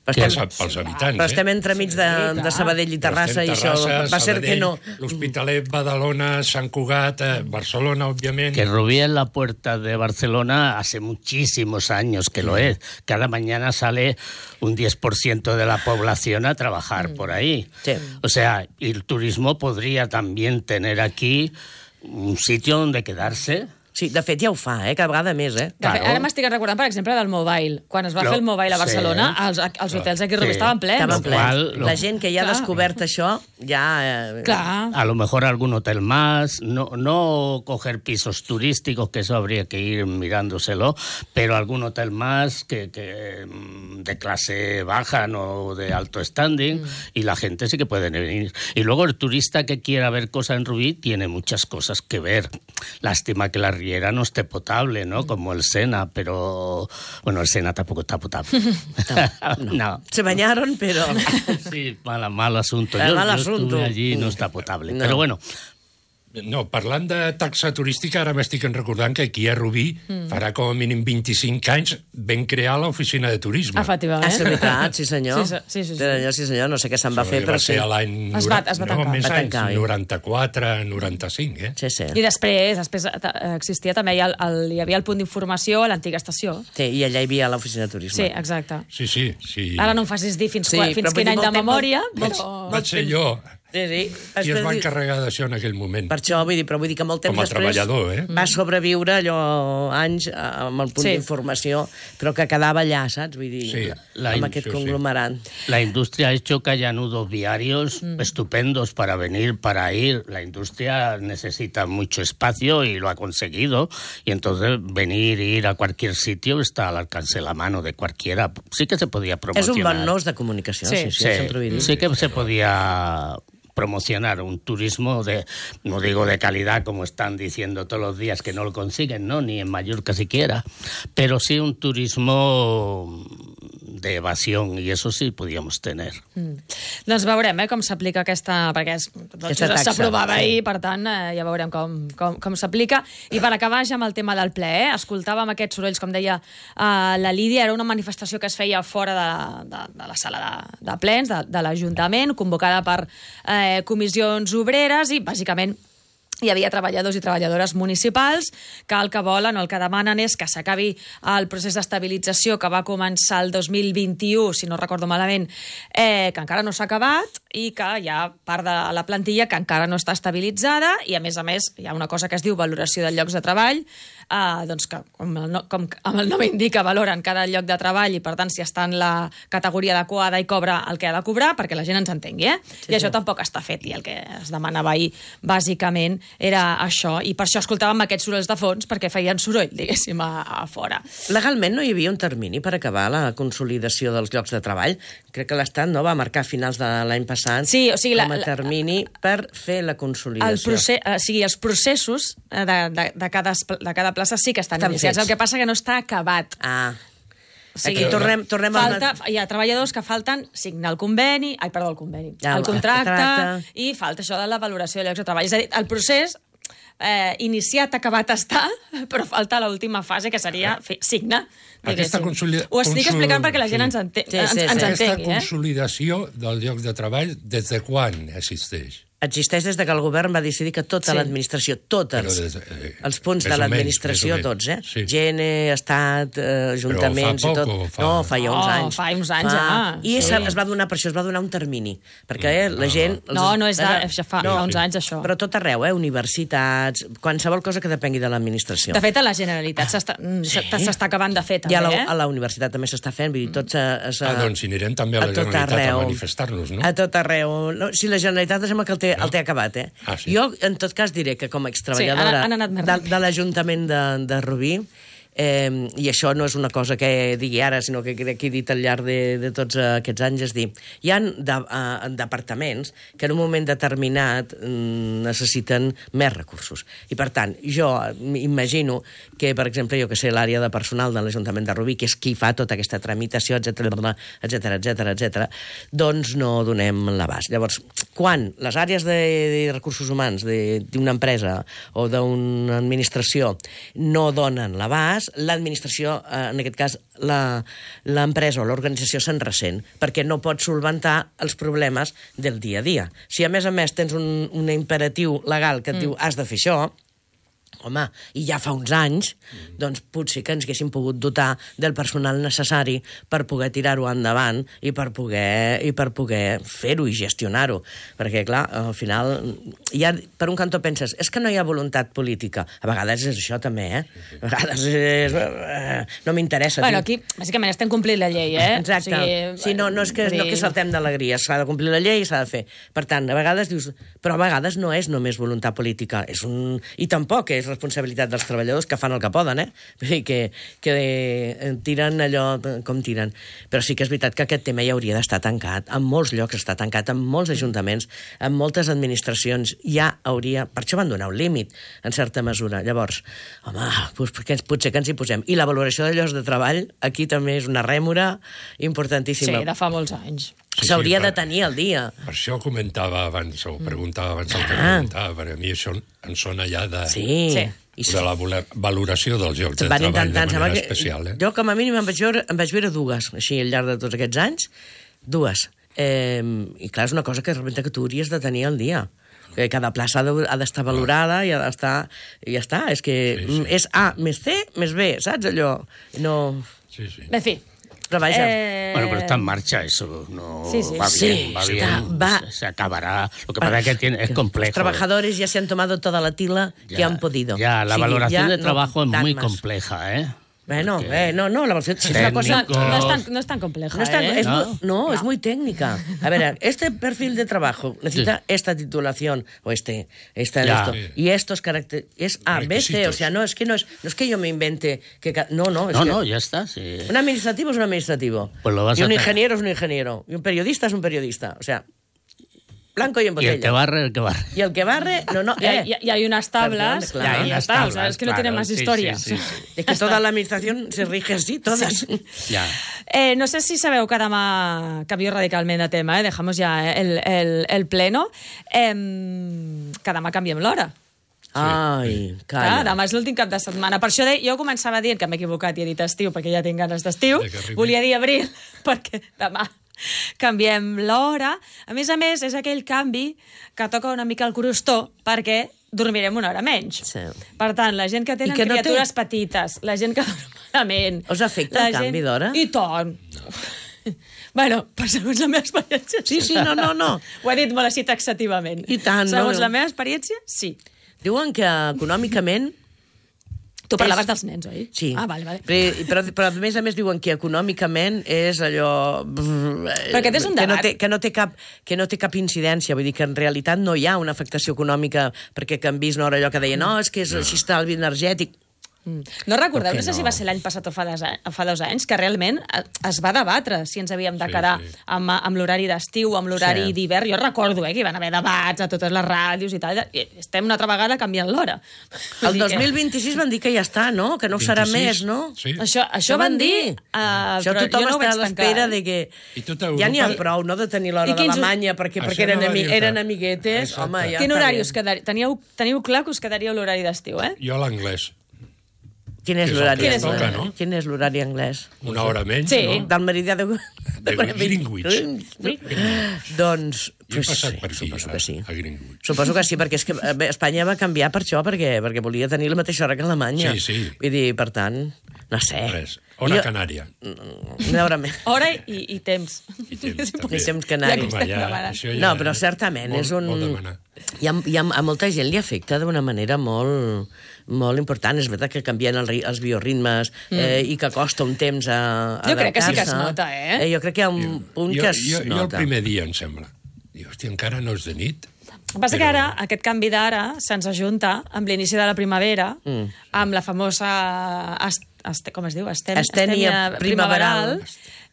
Però Pels, estem, pels habitants, però eh? estem entremig de, de Sabadell i Terrassa i això va ser que no... L'Hospitalet, Badalona, Sant Cugat, eh, Barcelona, obviamente. Que Rubí es la puerta de Barcelona hace muchísimos años que lo es. Cada mañana sale un diez por ciento de la población a trabajar por ahí. Sí. O sea, y el turismo podría también tener aquí un sitio donde quedarse. Sí, de fet ja ho fa, eh? Cada vegada més, eh? De fet, ara m'estic recordant, per exemple, del Mobile. Quan es va Lo- fer el Mobile a Barcelona, sí. els, els hotels aquí a Rubí Sí. estaven plens. Estaven Lo plens. qual, lo- La gent que ja ha Clar. descobert això, ja... Eh, Clar. A lo mejor algún hotel más, no, no coger pisos turísticos, que eso habría que ir mirándoselo, pero algún hotel más que, que mm, de clase baja, no de alto standing, mm. y la gente sí que puede venir. Y luego el turista que quiera ver cosas en Rubí tiene muchas cosas que ver. Lástima que las Riera no esté potable, ¿no? Como el Sena, pero... Bueno, el Sena tampoco está potable. No. no. Se bañaron, pero... Sí, mal, mal asunto. Yo, mal yo asunto. estuve allí y no está potable. No. Però bueno... No, parlant de taxa turística, ara m'estic recordant que aquí a Rubí, mm. farà com a mínim vint-i-cinc anys, vam crear l'oficina de turisme. Efectivament. Ah, és veritat, sí senyor. Sí, sí, sí, sí. Sí, sí senyor, no sé què se'n va fer, però va sí. ser l'any... Es va, es va no, tancar. més Va anys, tancar, eh? noranta-quatre, noranta-cinc, eh? Sí, sí. I després, després existia també, el, el, hi havia el punt d'informació a l'antiga estació. Sí, i allà hi havia l'oficina de turisme. Sí, exacte. Sí, sí. sí. Ara no em facis dir fins, Sí, quan, fins però quin vull dir, any de molt temps- memòria, Vaig, però... vaig ser jo Sí, sí. qui es va encarregar d'això en aquell moment. Per això, vull dir, però vull dir que molt temps Com a després treballador, eh? va sobreviure allò anys amb el punt Sí. d'informació, però que quedava allà, saps? Vull dir, Sí, la amb in- aquest sí, sí. conglomerat. La industria ha hecho que haya nudos viarios mm. estupendos para venir, para ir. La industria necesita mucho espacio y lo ha conseguido. Y entonces venir e ir a cualquier sitio está al alcance de la mano de cualquiera. Sí que se podía promocionar. És un bon nous de comunicació, sí, sí, sí, sí, sempre ho he dit. sí que se podía promocionar un turismo de, no digo de calidad como están diciendo todos los días que no lo consiguen, ¿no? Ni en Mallorca siquiera, pero sí un turismo de evasión, y eso sí podíamos tener. Mm. Doncs veurem eh, com s'aplica aquesta... perquè és, doncs, Aquesta taxa, s'aprovava sí. ahir, per tant, eh, ja veurem com, com, com s'aplica. I per acabar ja amb el tema del ple, eh, escoltàvem aquests sorolls, com deia eh, la Lídia, era una manifestació que es feia fora de, de, de la sala de, de plens, de, de l'Ajuntament, convocada per eh, comissions obreres i, bàsicament, hi havia treballadors i treballadores municipals que el que volen o el que demanen és que s'acabi el procés d'estabilització que va començar el dos mil vint-i-u, si no recordo malament, eh, que encara no s'ha acabat i que hi ha part de la plantilla que encara no està estabilitzada i, a més a més, hi ha una cosa que es diu valoració de llocs de treball, eh, doncs que, com el, no, com el nom indica, valoren cada lloc de treball i, per tant, si està en la categoria adequada i cobra el que ha de cobrar, perquè la gent ens entengui, eh? Sí, I això sí. tampoc està fet, i el que es demanava ahir, bàsicament, era això, i per això escoltàvem aquests sorolls de fons, perquè feien soroll, diguéssim, a, a fora. Legalment no hi havia un termini per acabar la consolidació dels llocs de treball. Crec que l'Estat no va marcar a finals de l'any passat sí, o sigui, com a la, termini per fer la consolidació. El procés, o sigui, els processos de, de, de, cada, de cada plaça sí que estan, estan iniciats, fets. El que passa que no està acabat. Ah. O sigui, Aquí tornem, tornem falta, a... hi ha treballadors que falten signar el conveni, ai, perdó, el conveni, Ja, el contracte, contracte. i falta això de la valoració de llocs de treball. És a dir, el procés eh, iniciat, acabat està, però falta l'última fase, que seria fer, signar. Aquesta consolida... Ho estic consul... explicant perquè la gent ens, ente... Sí, sí, ens, sí. ens Aquesta entengui. Eh? consolidació del lloc de treball, des de quan existeix? Existeix des de que el govern va decidir que tota Sí. l'administració, totes, Però des- eh, els punts més de o menys, l'administració, més o tots, eh? menys, sí. Gene, Estat, eh, ajuntaments Però fa i tot. poc o fa- No, fa ja uns Oh, anys. fa uns anys, ja. I Sí. es, es va donar per això, es va donar un termini, perquè eh, la gent... No, no és de, això fa, fa uns anys, això. Però tot arreu, eh? Universitats, qualsevol cosa que depengui de l'administració. De fet, a la Generalitat s'està sí. s'està acabant de fer, també, I a la, eh? a la universitat també s'està fent, vull dir, tots... A, a, Ah, doncs anirem també a la a tot Generalitat arreu. a manifestar-nos, no? A tot arreu. No, si la Generalitat sembla que el té, el té acabat, eh? Ah, sí? Jo, en tot cas, diré que com a extreballadora Sí, han- han anat més de, ràpid. de l'Ajuntament de, de Rubí, eh, i això no és una cosa que digui ara, sinó que crec que he dit al llarg de, de tots aquests anys, és dir, hi ha de, uh, departaments que en un moment determinat mm, necessiten més recursos. I, per tant, jo imagino que, per exemple, jo que sé, l'àrea de personal de l'Ajuntament de Rubí, que és qui fa tota aquesta tramitació, etcètera, etcètera, etcètera, etcètera, doncs no donem l'abast. Llavors, quan les àrees de, de recursos humans de- d'una empresa o d'una administració no donen l'abast, l'administració, eh, en aquest cas la- l'empresa o l'organització se'n ressent, perquè no pot solventar els problemes del dia a dia. Si a més a més tens un, un imperatiu legal que et mm. diu has de fer això, home, i ja fa uns anys, doncs potser que ens haguéssim pogut dotar del personal necessari per poder tirar-ho endavant i per poder, i per poder fer-ho i gestionar-ho. Perquè, clar, al final, ja, per un cantó penses, és que no hi ha voluntat política. A vegades és això també, eh? A vegades és... eh, no m'interessa. Bueno, tio. aquí, bàsicament, estem complint la llei, eh? Exacte. O sigui, sí, no, no és que, vull no dir- que saltem d'alegria, s'ha de complir la llei i s'ha de fer. Per tant, a vegades dius... Però a vegades no és només voluntat política, és un... i tampoc és responsabilitat dels treballadors, que fan el que poden, eh? Vull dir que, que tiren allò com tiren. Però sí que és veritat que aquest tema ja hauria d'estar tancat. En molts llocs està tancat, en molts ajuntaments, en moltes administracions ja hauria... Per això van donar un límit, en certa mesura. Llavors, home, doncs potser que ens hi posem. I la valoració de llocs de treball, aquí també és una rèmora importantíssima. Sí, de fa molts anys. S'hauria sí, de tenir el dia. Per això comentava abans, o preguntava abans el que Ah. preguntava, perquè a mi això em sona ja de, Sí. Sí. de la vola- valoració dels llocs de Van treball de intentar, em sembla manera que- especial. Eh? Jo, com a mínim, em vaig veure, em vaig veure dues, així, al llarg de tots aquests anys. Dues. Eh, I clar, és una cosa que realment que tu hauries de tenir al dia. Que cada plaça ha de- ha d'estar valorada i ha d'estar... I ja està, és que sí, sí. és A més C més B, saps allò? No... Sí, sí. En fi. Però vaja... Eh... Bueno, pero está en marcha eso, no Sí, sí. va Sí, bien, va está- bien, va- se, se acabará. Lo que pasa es que tiene, es complejo. Los trabajadores ya se han tomado toda la tila Ya, que han podido. Ya, la Sí, valoración ya de no trabajo es dan muy más. compleja, ¿eh? Bueno, Porque eh, no, no, la valoración si es una cosa... técnicos- No, no, es tan, no es tan compleja, No, es tan- ¿eh? es ¿No? muy- no, es muy técnica. A ver, este perfil de trabajo necesita esta titulación, o este, esta, Ya. esto, Sí. y estos caracteres, es A, B, C, Requisitos. o sea, no es que no es, no es que yo me invente, que ca- no, no, es No, que no, ya está. Sí. un administrativo es un administrativo, Pues lo vas y a un hacer. ingeniero es un ingeniero, y un periodista es un periodista, o sea, blanco y en Y botella. el que barre, el que barre. Y el que barre, no, no, Y hay, eh. y hay unas tablas, Perdón, claro. y ya Hay está, unas o sea, es que no tablas, tiene más claro, sí, historia. sí, sí, sí. Es que toda la administración se rige así, todas. Ya. Eh, no sé si sabeu que demà canvio radicalment de tema, eh? Dejamos ja el, el, el pleno. Eh, que demà canviem l'hora. Ai, Clar, calla. demà és l'últim cap de setmana. Per això de, jo començava dient que m'he equivocat i he dit estiu, perquè ja tinc ganes d'estiu. Volia dir abril, perquè demà canviem l'hora. A més a més, és aquell canvi que toca una mica el crostó, perquè dormirem una hora menys. Sí. Per tant, la gent que tenen I que no té- criatures petites, la gent que dorm malament... Us afecta el la canvi d'hora? I tant. Bueno, per segons la meva experiència... Sí, sí, no, no, no. Ho he dit molt així taxativament. I tant, no, Segons no. la meva experiència, sí. Diuen que econòmicament... Tu parlaves dels nens, oi? Sí. Ah, vale, vale. Però, però, però a més a més diuen que econòmicament és allò... Però aquest és un que no, debat. té, que, no té cap, que no té cap incidència, vull dir que en realitat no hi ha una afectació econòmica perquè canvis una hora allò que deia no, és que és així estalvi energètic. No recordeu, Per què no sé si no? va ser l'any passat o fa dos, anys, fa dos anys, que realment eh, es va debatre si ens havíem de quedar sí, sí. amb, amb l'horari d'estiu, amb l'horari Sí. sí. d'hivern. Jo recordo eh, que hi van haver debats a totes les ràdios i tal, i estem una altra vegada canviant l'hora. El dos mil vint-i-sis van dir que ja està, no? Que no ho serà més, no? Sí. Això, això van dir, uh, Això però tothom jo no ho està vaig a l'espera tancar. de que... I tota Ja n'hi ha Europa- prou, no?, de tenir l'hora I quins- d'Alemanya, perquè, Això perquè eren, no va ami dir-te. eren amiguetes. Exacte. Home, ja Quin està horari bé. us quedaria? Teniu, teniu clar que us quedaria l'horari d'estiu, eh? Jo l'anglès. Quin és Que és el l'horari que anglès? toca, no? Quin és l'horari anglès? Una hora menys, Sí. no? Del meridià de... De Greenwich. Doncs, Jo he pues, passat sí, per aquí, suposo a, que sí. a Greenwich. Suposo que sí, perquè és que eh, bé, Espanya va canviar per això, perquè, perquè volia tenir la mateixa hora que Alemanya. Sí, sí. Vull dir, per tant, no sé. Res. Hora Jo- canària. Una hora més. Hora i, i temps. I temps, també. Ni temps canari. Ja que estem demanant. això ja No, però certament molt- és un... molt demanar. Hi ha, hi ha, a molta gent li afecta d'una manera molt, molt important. És veritat que canvien el, ri- els bioritmes Mm. eh, i que costa un temps a, a Jo crec que sí que es adaptar-se. nota, eh? Jo crec que hi ha un punt Jo, que es jo, jo el nota. primer dia, em sembla. Dic, hòstia, encara no és de nit. El que passa que ara, aquest canvi d'ara se'ns ajunta amb l'inici de la primavera, Mm. amb la famosa... Est, est, com es diu? Estem, Estènia primaveral.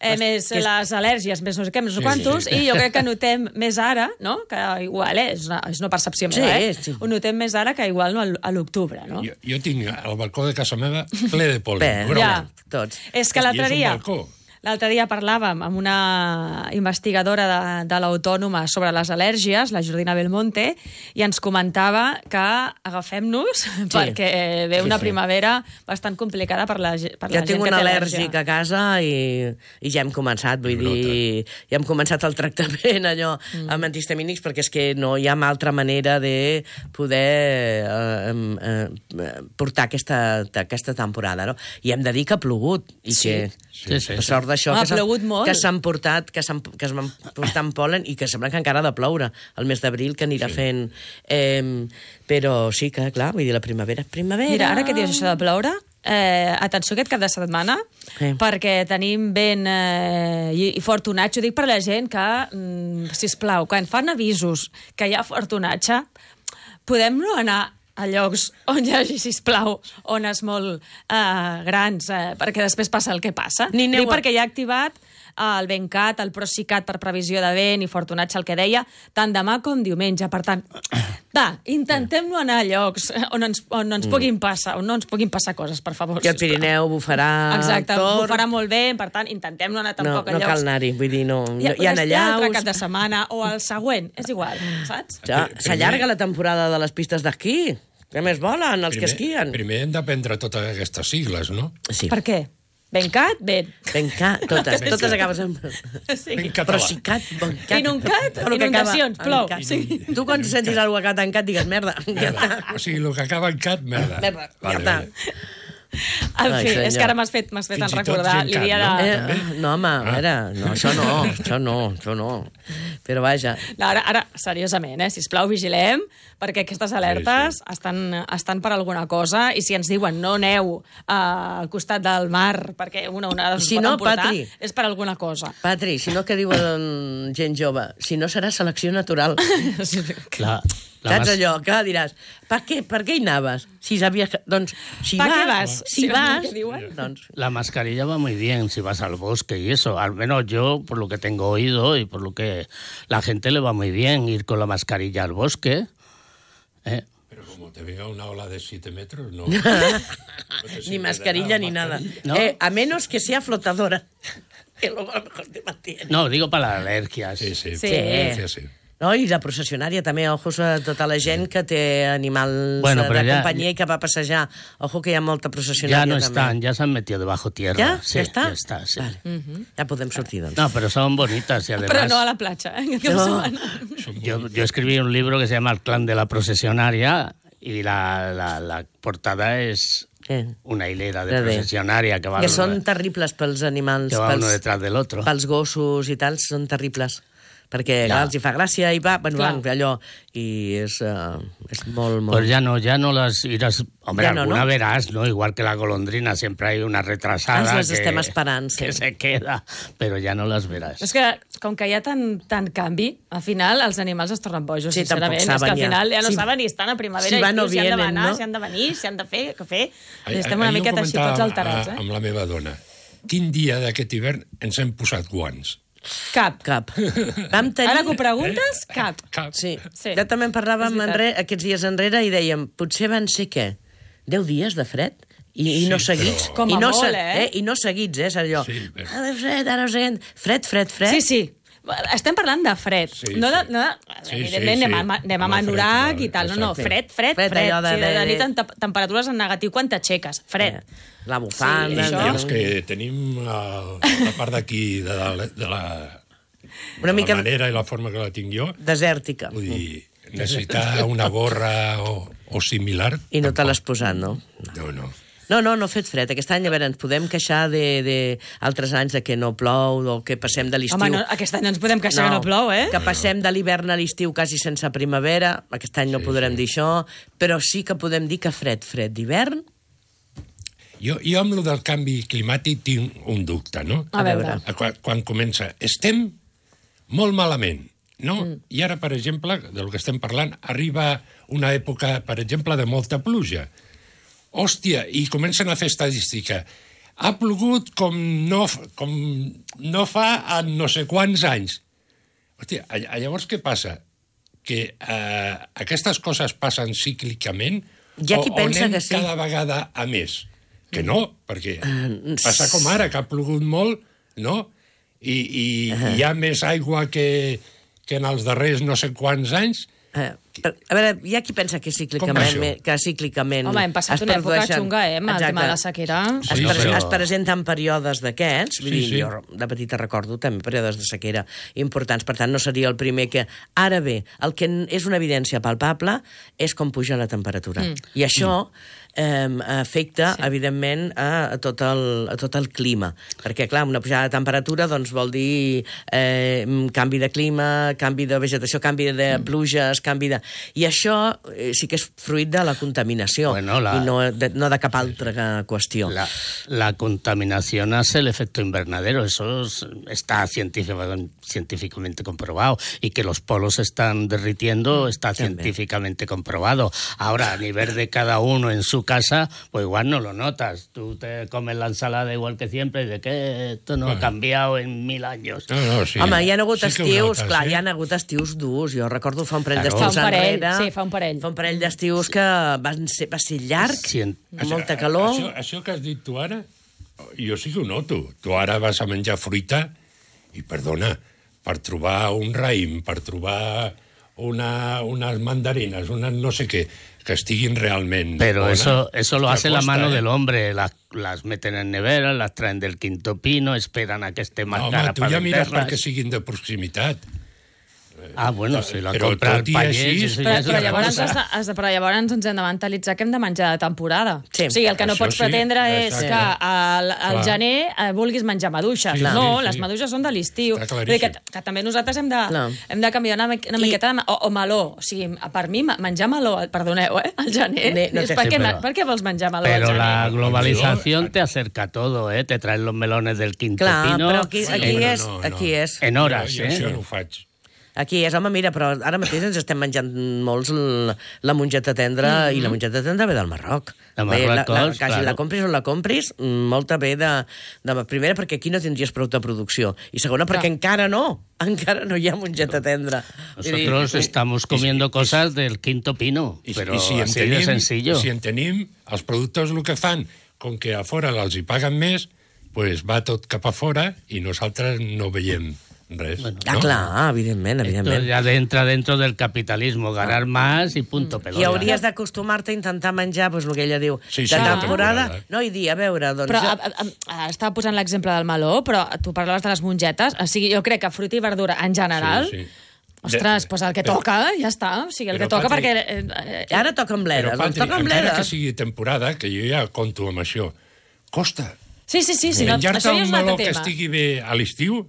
eh, més que és- les al·lèrgies, més no sé què, més no sé Sí, quantos, sí. i jo crec que notem més ara, no? Que igual, eh? És una, és una percepció Sí, meva, eh? sí. Ho notem més ara que igual no, a l'octubre, no? Jo, jo tinc el balcó de casa meva ple de pol·len. Bé, Broma. ja. Tots. És que I l'altre és un dia... balcó. L'altre dia parlàvem amb una investigadora de, de l'Autònoma sobre les al·lèrgies, la Jordina Belmonte, i ens comentava que agafem-nos sí. perquè ve una Sí, sí. primavera bastant complicada per la, ge- per Jo la gent tinc que un té al·lèrgic al·lèrgia. a casa i, i ja hem començat, vull dir, ja hem començat el tractament allò mm. amb antihistamínics perquè és que no hi ha altra manera de poder eh, eh, eh, portar aquesta, aquesta temporada, no? I hem de dir que ha plogut i Sí. que, Sí, sí, per sí. sort d'això, Ha que s'ha- plogut molt. que s'han portat, que s'han que es van portant pol·len i que sembla que encara ha de ploure el mes d'abril, que anirà sí. fent... Eh, però sí que, clar, vull dir, la primavera és primavera. Mira, ara que dius això de ploure, eh, atenció aquest cap de setmana, Sí. perquè tenim vent eh, i, i fortunatge. Ho dic per la gent que, mm, sisplau, quan fan avisos que hi ha fortunatge, podem no anar a llocs on hi hagi, sisplau, ones molt uh, grans, uh, perquè després passa el que passa. Ni neu... Dic perquè ja ha activat el Bencat, el Procicat per previsió de vent i fortunatge, el que deia, tant demà com diumenge. Per tant, va, intentem no anar a llocs on ens, on ens puguin passar, on no ens puguin passar coses, per favor. Que el Pirineu bufarà... Exacte, tot. bufarà molt bé, per tant, intentem no anar tampoc no, a llocs. No cal anar-hi, vull dir, no... Ja, hi ha allaus... L'altre allaus... cap de setmana o el següent, és igual, saps? Ja, s'allarga la temporada de les pistes d'esquí. Què més volen, els primer, que esquien? Primer hem d'aprendre totes aquestes sigles, no? Sí. Per què? Bencat, ben. Bencat, totes, totes acabes amb... Sí. Procicat, bencat. Inuncat, inundacions, plou. Sí. Tu quan sentis alguna cosa que ha tancat digues merda. merda. O sigui, el que acaba en cat, merda. Merda, vale, merda. Vale. En fi, és que ara m'has fet, m'has fet en recordar l'idea de... Eh, no, home, a veure, no, això no, això no, això no. Però vaja. No, ara, ara, seriosament, eh? Sisplau, vigilem, perquè aquestes alertes sí, sí. Estan, estan per alguna cosa, i si ens diuen no aneu uh, al costat del mar perquè una onada us si pot no, emportar, Patri, és per alguna cosa. Patri, si no, què diuen gent jove? Si no, serà selecció natural. Clar. Saps allò? Que diràs, per què, per què hi anaves? Si sabies que... Doncs, si ¿Pa vas... qué vas? Si Si vas... vas, diuen. Doncs... La mascarilla va muy bien si vas al bosque y eso. Al menos yo, por lo que tengo oído y por lo que la gente le va muy bien ir con la mascarilla al bosque. ¿Eh? Pero como te venga una ola de siete metros, no. Ni mascarilla ni nada. ¿No? Eh, a menos que sea flotadora. Que luego a lo mejor te mantiene. No, digo para las alergias. Sí, sí. Sí. sí, sí. No, i la processionària també, ojos a tota la gent que té animals bueno, de ja, companyia i que va a passejar. Ojo que hi ha molta processionària ya no també. están, ya se han metido debajo tierra. ¿Ya? Sí, ¿Ya está? Ya está, sí. Vale. Uh-huh. Ja podem sortir, doncs. No, pero son bonitas y además... Però no a la platja, eh? No. Yo, yo escribí un libro que se llama El clan de la procesionaria y la, la, la portada es una hilera de procesionaria que va... Que són terribles pels animals. Que va pels, uno detrás del otro. Pels gossos i tal, són terribles. Perquè Ja. clar, els hi fa gràcia i va, bueno, Clar. van, allò, i és, uh, és molt, molt... Pues ya no, ya no las irás... Hombre, Ya no, alguna ¿no? verás, ¿no? Igual que la golondrina, siempre hay una retrasada Ah, les que, estem esperant, sí. que se queda, pero ya no las verás. És que, com que hi ha tant, tant canvi, al final els animals es tornen bojos, Sí, tampoc sincerament. És que saben al ja. final ja no Si- saben ni estan a primavera si i van o estiu, si han vienen, d'anar, no? si han de venir, si han de fer, què fer. Ahir- Estem una ahir ho miqueta així tots comentava alterats, eh? Amb la meva dona. Quin dia d'aquest hivern ens hem posat guants? Cap. Cap. Vam tenir... Ara que ho preguntes, cap. Cap. Sí. Sí. Ja també en parlàvem És veritat. enrere, aquests dies enrere i dèiem, potser van ser què? deu dies de fred? I, i no Sí, seguits. però- Com a I no, molt, se- eh? I no seguits, eh? És allò. Sí, però- Ara fred, ara fred, fred, fred, fred. Sí, sí. Estem parlant de fred. Sí, no de, sí. no de, Sí, evidentment sí, anem, sí. a, anem a Home, Manorac fred, i tal. No, no, exacte. fred, fred, Fred, fred. allò de- Sí, de, de de- nit en te- temperatures en negatiu quan t'aixeques. Fred. La bufanda... Sí, I això. els que tenim la, la part d'aquí de, la, de, la, Una de mica la manera i la forma que la tinc jo, desèrtica. vull dir, necessitar una gorra o, o similar... I no te l'has posat, no? No, no. No, no, no ha fet fred. Aquest any, a veure, ens podem queixar de, de altres anys de que no plou o que passem de l'estiu... Home, no, aquest any no ens podem queixar que no plou, eh? Que passem de l'hivern a l'estiu quasi sense primavera. Aquest any no Sí, podrem sí. dir això, però sí que podem dir que fred, fred d'hivern... Jo, jo amb lo del canvi climàtic tinc un dubte, no? A veure. Quan, quan comença, estem molt malament, no? Mm. I ara, per exemple, del que estem parlant, arriba una època, per exemple, de molta pluja. Hòstia, i comencen a fer estadística. Ha plogut com no, com no fa en no sé quants anys. Hòstia, llavors què passa? Que eh, aquestes coses passen cíclicament Hi ha qui o, pensa o anem que sí. cada vegada a més? Que no, perquè passa com ara, que ha plogut molt, no? I, i uh-huh. hi ha més aigua que, que en els darrers no sé quants anys. Eh, a veure, hi ha qui pensa que cíclicament... Que cíclicament Home, hem passat una època xunga, eh, amb el tema de la sequera. Es, Sí, pre però- es presenten períodes d'aquests, vull Sí, dir, sí. jo de petita recordo també períodes de sequera importants, per tant no seria el primer que... Ara bé, el que és una evidència palpable és com puja la temperatura. Mm. I això eh, afecta, sí. evidentment, a, a, tot el, a tot el clima. Perquè, clar, una pujada de temperatura doncs, vol dir eh, canvi de clima, canvi de vegetació, canvi de pluges, canvi de... I això eh, sí que és fruit de la contaminació, bueno, la... i no de, no de cap altra qüestió. La, la contaminación hace el efecto invernadero, eso es, está científicamente, científicamente comprobado, y que los polos se están derritiendo está También. científicamente comprobado. Ahora, a nivel de cada uno en su casa, pues igual no lo notas. Tú te comes la ensalada igual que siempre, y de que esto no bueno. ha cambiado en mil años. No, no, sí. Home, hi ha hagut sí estius, notes, clar, eh? hi ha hagut estius durs. Jo recordo fa un parell claro. d'estius parell, enrere. Sí, fa un parell. Fa un parell d'estius que van ser, va ser llarg, sí, amb molta calor. Això, això que has dit tu ara, jo sí que ho noto. Tu ara vas a menjar fruita i, perdona, per trobar un raïm, per trobar una, unes mandarines, unes no sé què, que estiguin realment Pero bones, eso, eso lo hace la costa, mano eh? del hombre. Las, las meten en nevera, las traen del Quinto Pino, esperan a que esté más no, cara home, tu para ja mires venderlas. perquè siguin de proximitat. Ah, bueno, si la Però compra el tot i pagès... així, eso Però, ja és però, una llavors cosa. has de, has de, però llavors ens hem de mentalitzar que hem de menjar de temporada. Sí. O sigui, el que no Això pots sí, pretendre és exacte. que al, al Clar. gener eh, vulguis menjar maduixes. Sí, no, sí, les sí. maduixes són de l'estiu. Està Vull dir que, claríssim. que també nosaltres hem de, Clar. hem de canviar una, mi- una I- miqueta de... O, o meló. O sigui, per mi, menjar meló, perdoneu, eh, al gener. Ne- no és té- per, sí, què, però- per què vols menjar meló Pero al gener? la globalización te acerca a todo, ¿eh? Te traen los melones del Quinto Clar, Pino però aquí, aquí, Sí, és, no, no, aquí no. és. en horas, jo, jo això ¿eh? no ho faig. Aquí és, home, mira, però ara mateix ens estem menjant molts la, la mongeta tendra, mm -hmm. i la mongeta tendra ve del Marroc. De Bé, la, la, Marruecos, quasi claro. la compris on la compris, molta ve de, de... Primera, perquè aquí no tindries prou de producció. I segona, perquè Clar. encara no. Encara no hi ha mongeta tendra. Nosotros I, estamos comiendo y, cosas del Quinto Pino, I, pero i si en así tenim, de sencillo. Si en tenim, els productors el que fan, com que a fora els hi paguen més, pues va tot cap a fora i nosaltres no veiem res. Bueno, Ah, no? clar, evidentment, Esto evidentment. ya entra dentro del capitalismo, ganar más y punto pelota. I hauries d'acostumar-te a intentar menjar, doncs el que ella diu, Sí, de sí, de temporada, temporada. no, i dir, a veure, doncs... Però jo- a, a, a, estava posant l'exemple del meló, però tu parlaves de les mongetes. O sigui, jo crec que fruita i verdura en general... Sí, sí. Ostres, De- doncs el que però- toca, ja està. O sigui, el però, que toca Patri, perquè... Eh, eh, Ara toquen Però, bledes, doncs Patri, toquen encara que bledes. sigui temporada, que jo ja conto amb això, costa. Sí, sí, sí. sí no, Menjar-te això ja un és un meló altre que tema. estigui bé a l'estiu,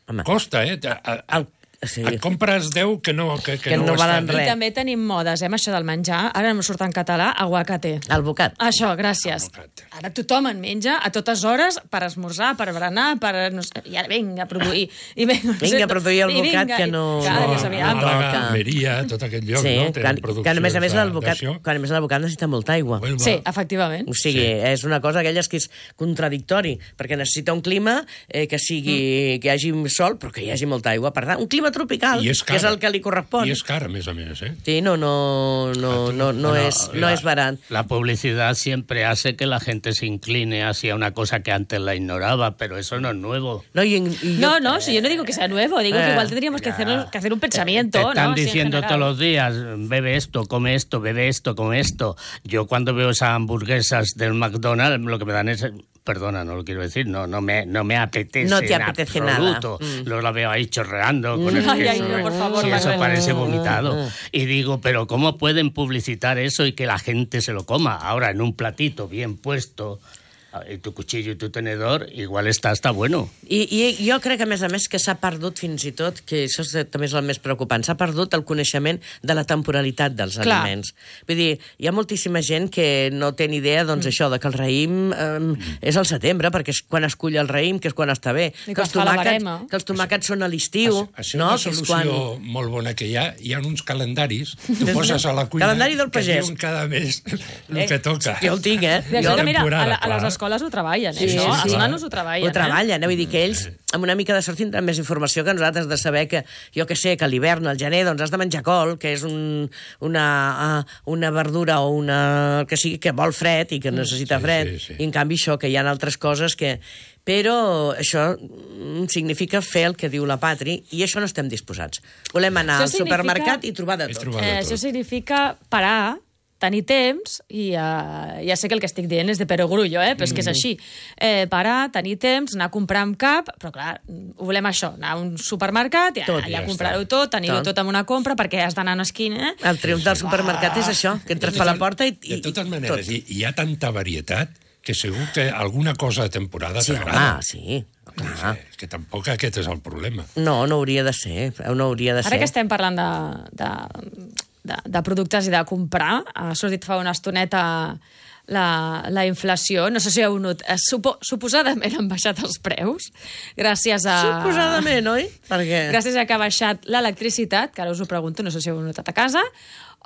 Home. costa, eh? A, a, El, sí. et compres deu que no, que, que Que no, no estan valen bé. res. I també tenim modes, eh, amb això del menjar. Ara no surt en català, aguacate. El bocat. Això, gràcies. Aguacate. Ara tothom en menja a totes hores per esmorzar, per berenar, per... No sé, I ara vinga a produir. I vinga, no sé, Vinga a produir el i bocat vinga, que i- no- Cada no, dia s'aviam. no. Màlaga, toca. Almeria, tot aquest lloc, Sí, no? que, Tenen que, produccions a més a més de- el bocat, d'això. que a més el bocat necessita molta aigua. Huelva. Sí, efectivament. O sigui, sí. és una cosa aquelles que és contradictori, perquè necessita un clima eh, que sigui mm. que hi hagi sol, però que hi hagi molta aigua. Per tant, un clima tropical, I és que és cara. el que li correspon. I és car, a més a més, eh? Sí, no, no, no, no, no, Bueno, és, no la- és barat. La publicidad siempre hace que la gente se incline hacia una cosa que antes la ignoraba, pero eso no es nuevo. No, y, y yo, No, no, si yo no digo que sea nuevo, digo Eh, que igual tendríamos que, hacernos, que hacer un pensamiento. Te están ¿no? Así en diciendo general. todos los días, bebe esto, come esto, bebe esto, come esto. Yo cuando veo esas hamburguesas del McDonald's, lo que me dan es... Perdona, no lo quiero decir, no, no, me, no me apetece No te en apetece absoluto. nada. Mm. Luego la veo ahí chorreando con el Ay, queso. ay, no, por favor, Sí, eso Manuel. parece vomitado. Y digo, pero ¿cómo pueden publicitar eso y que la gente se lo coma? Ahora, en un platito bien puesto, y tu cuchillo i tu tenedor, igual està, està bueno. I, I jo crec, a més a més, que s'ha perdut fins i tot, que això és, també és el més preocupant, s'ha perdut el coneixement de la temporalitat dels Clar. aliments. Vull dir, hi ha moltíssima gent que no té ni idea, doncs, mm. això, de que el raïm eh, és al setembre, perquè és quan es cull el raïm, que és quan està bé. I Que quan els, fa la tomàquets, verema. que els tomàquets són a l'estiu, Això no? és Que una és solució quan... molt bona que hi ha. Hi ha uns calendaris, tu poses a la cuina, Calendari del que pagès. diuen cada mes el Eh, que toca. Jo el tinc, eh? I això Jo- que, mira, a, la, a Temporada, les clar. escoles ho treballen, Sí, eh? sí, no? sí. Els nanos ho treballen. Ho treballen, eh? Vull dir que ells, amb una mica de sort, tindran més informació que nosaltres de saber que, jo que sé, que a l'hivern, al gener, doncs has de menjar col, que és un, una, una verdura o una... que sigui que vol fred i que necessita Sí, fred. sí, sí. I en canvi això, que hi ha altres coses que... Però això mm, significa fer el que diu la Patri, i això no estem disposats. Volem anar Això al significa- supermercat i trobar de I tot. trobar de Eh, tot. això significa parar, tenir temps, i uh, ja sé que el que estic dient és de perogrullo, eh? Però és que és així. Eh, parar, tenir temps, anar a comprar amb cap, però clar, ho volem això, anar a un supermercat i Tot, allà ja comprar-ho està. tot, tenir-ho Tot. tot en una compra, perquè has d'anar a una esquina, eh? El triomf del supermercat és això, que entres per la porta i... i De totes i maneres, tot. hi, hi ha tanta varietat que segur que alguna cosa de temporada Sí, t'agrada. home, sí. Clar. És que tampoc aquest és el problema. No, no hauria de ser. No hauria de Ara ser. que estem parlant de, de, de, de productes i de comprar. Ha sortit fa una estoneta la, la inflació. No sé si heu notat. Supo, suposadament han baixat els preus gràcies a... Suposadament, oi? Perquè... Gràcies a que ha baixat l'electricitat, que ara us ho pregunto, no sé si heu notat a casa,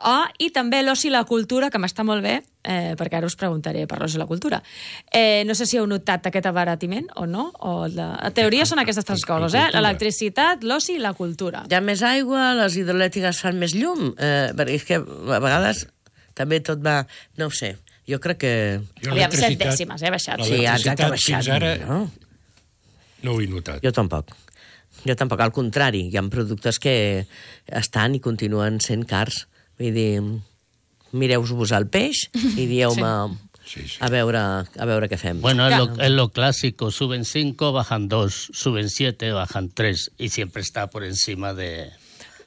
oh, i també l'oci i la cultura, que m'està molt bé, eh, perquè ara us preguntaré per l'oci i la cultura. Eh, no sé si heu notat aquest abaratiment o no. O la... La teoria són aquestes tres coses, eh? L'electricitat, l'oci i la cultura. Hi ha més aigua, les hidroelèctriques fan més llum, eh, perquè és que a vegades també tot va... No ho sé, jo crec que... Aviam, set dècimes, eh, baixat. Sí, exacte, ha baixat. Fins ara no? no ho he notat. Jo tampoc. Jo tampoc, al contrari, hi ha productes que estan i continuen sent cars. Vull dir, mireu-vos al peix i dieu-me sí. sí, sí. a, veure, a veure què fem. Bueno, es lo, es lo clásico, suben cinco, bajan dos, suben siete, bajan tres, y siempre está por encima de,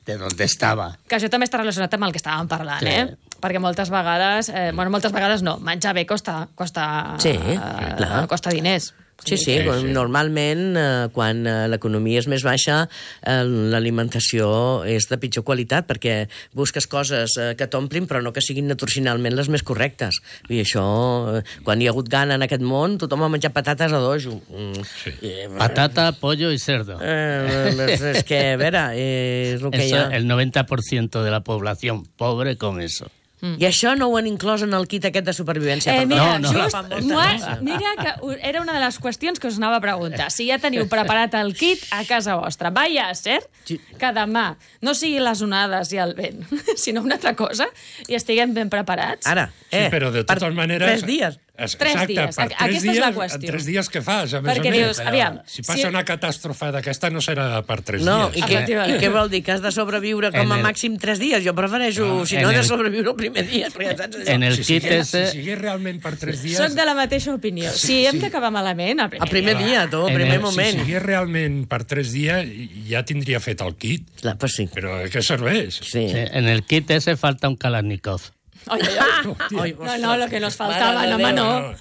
de donde estaba. Que això també està relacionat amb el que estàvem parlant, sí. eh? Perquè moltes vegades, eh, bueno, moltes vegades no, menjar bé costa, costa, sí, eh, costa diners. Sí, sí, sí, sí. Normalment, eh, quan eh, l'economia és més baixa, eh, l'alimentació és de pitjor qualitat, perquè busques coses eh, que t'omplin, però no que siguin nutricionalment les més correctes. I això, eh, quan hi ha hagut gana en aquest món, tothom ha menjat patates a dojo. Mm. Sí. Eh, Patata, pollo i cerdo. Eh, és, és que, a veure, eh, és el que eso, hi ha. El noventa por ciento de la población pobre come eso. Mm. I això no ho han inclòs en el kit aquest de supervivència. Eh, mira, no, no, just, no, mira que era una de les qüestions que us anava a preguntar. Si ja teniu preparat el kit a casa vostra. Vaya a ser que demà no sigui les onades i el vent, sinó una altra cosa, i estiguem ben preparats. Ara, eh, sí, però de totes maneres... Tres dies. Exacte, tres dies. per tres Aquesta dies, és la qüestió. En tres dies què fas? A més Perquè a més, dius, aviam... Si passa si... una catàstrofe d'aquesta no serà per tres no, dies. I què, i què vol dir? Que has de sobreviure com a el... màxim tres dies? Jo prefereixo, no, si no, el... de sobreviure el primer dia. Saps? En el si kit sigués, ese... Si sigués realment per tres dies... Soc de la mateixa opinió. Sí, si hem sí. d'acabar malament, el primer, el primer dia. dia, tu, el primer el... moment. Si sigués realment per tres dies, ja tindria fet el kit. Clar, pues sí. Però què serveix? Sí. Sí, en el kit ese falta un Kalashnikov. Ay, ay, ay. No, no, lo que nos faltaba, no, no.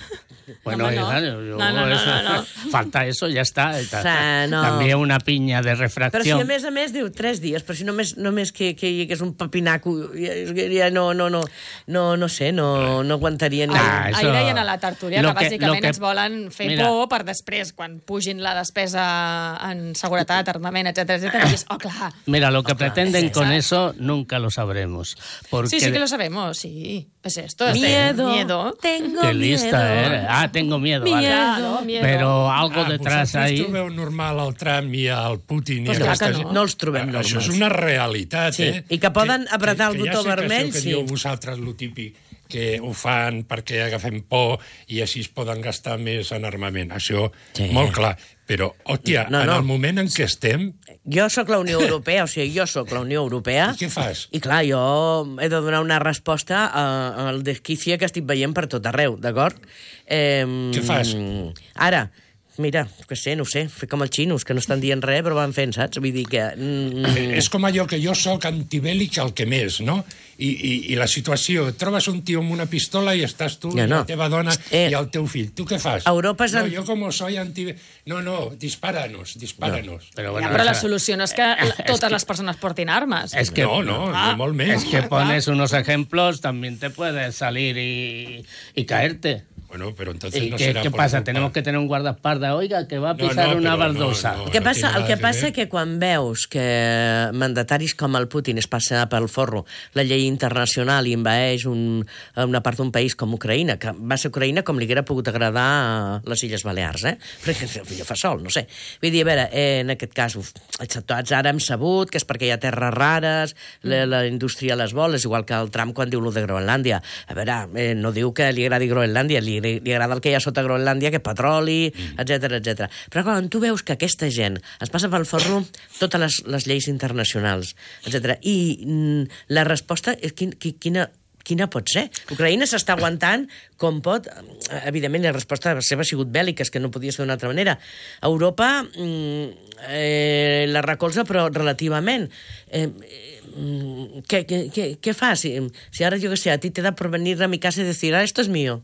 Bueno, no, no. Yo, No, no, no, eso, no, no. falta eso, ya está. O sea, no. També una pinya de Però refracció. si a més a més diu tres dies, però si només, només que, que hi hagués un papinaco, ja, ja no, no, no, no, no sé, no, no aguantaria ningú. Ah, eso... Ahir deien a la tertúlia que, que bàsicament que... ens volen fer Mira. por per després, quan pugin la despesa en seguretat, armament, etcètera, etcètera, i és, oh, clar. Mira, lo que oh, clar, pretenden con ¿sabes? eso nunca lo sabremos. Porque... Sí, sí que lo sabemos, sí. Es esto, es miedo, miedo. Tengo Qué lista miedo. eres. Ah, tengo miedo. Miedo. Vale. Claro, miedo. Però algo ah, detrás ahí... Vosaltres trobeu normal el Trump i el Putin? Pues i clar que aquesta... no. No els trobem normals. Això és una realitat, sí. eh? I que poden apretar que, el botó que ja sé vermell, que sí. dieu vosaltres lo típic, que ho fan perquè agafem por i així es poden gastar més en armament. Això, sí. molt clar. Però, hòstia, no, no. en el moment en què estem... Jo sóc la Unió Europea, o sigui, jo sóc la Unió Europea... I què fas? I clar, jo he de donar una resposta a, al desquicia que estic veient per tot arreu, d'acord? Eh, què fas? Ara, mira, que sé, no ho sé, fer com els xinos, que no estan dient res, però van fent, saps? Vull dir que... Mm... És com allò que jo sóc antibèl·lic el que més, no? I, i, i la situació, trobes un tio amb una pistola i estàs tu, ja, no. la teva dona eh... i el teu fill. Tu què fas? Europa és... No, jo com soy antibèl·lic... No, no, dispáranos, dispáranos. No, però, bueno, ja, però la solució no és que totes les persones portin armes. Es que, no, no, ah, no molt més. Es que pones unos ejemplos, también te puedes salir y, y caerte. Bueno, pero entonces ¿Y no qué, será ¿qué por pasa? culpa. Tenemos que tener un guardaespaldas, oiga, que va a pisar no, no, una no, baldosa. no, no, el que passa, no el que que passa que quan veus que mandataris com el Putin es passa pel forro la llei internacional i envaeix un, una part d'un país com Ucraïna, que va ser Ucraïna com li haguera pogut agradar a les Illes Balears, eh? Perquè el fa sol, no sé. Vull dir, a veure, eh, en aquest cas, uf, tots ara hem sabut que és perquè hi ha terres rares, la, la indústria les vol, és igual que el Trump quan diu lo de Groenlàndia. A veure, eh, no diu que li agradi Groenlàndia, li, li agrada el que hi ha sota Groenlàndia, que petroli, etcètera, etcètera. Però quan tu veus que aquesta gent es passa pel forro totes les, les lleis internacionals, etcètera, i mm, la resposta és quin, quina, quina pot ser? Ucraïna s'està aguantant com pot. Evidentment, la resposta seva ha sigut bèl·lica, és que no podia ser d'una altra manera. Europa mm, eh, la recolza, però relativament. Eh, Què, què, què, què fas? Si, si ara, jo què sé, a ti te da por venir a mi casa i dir, ah, esto es mío.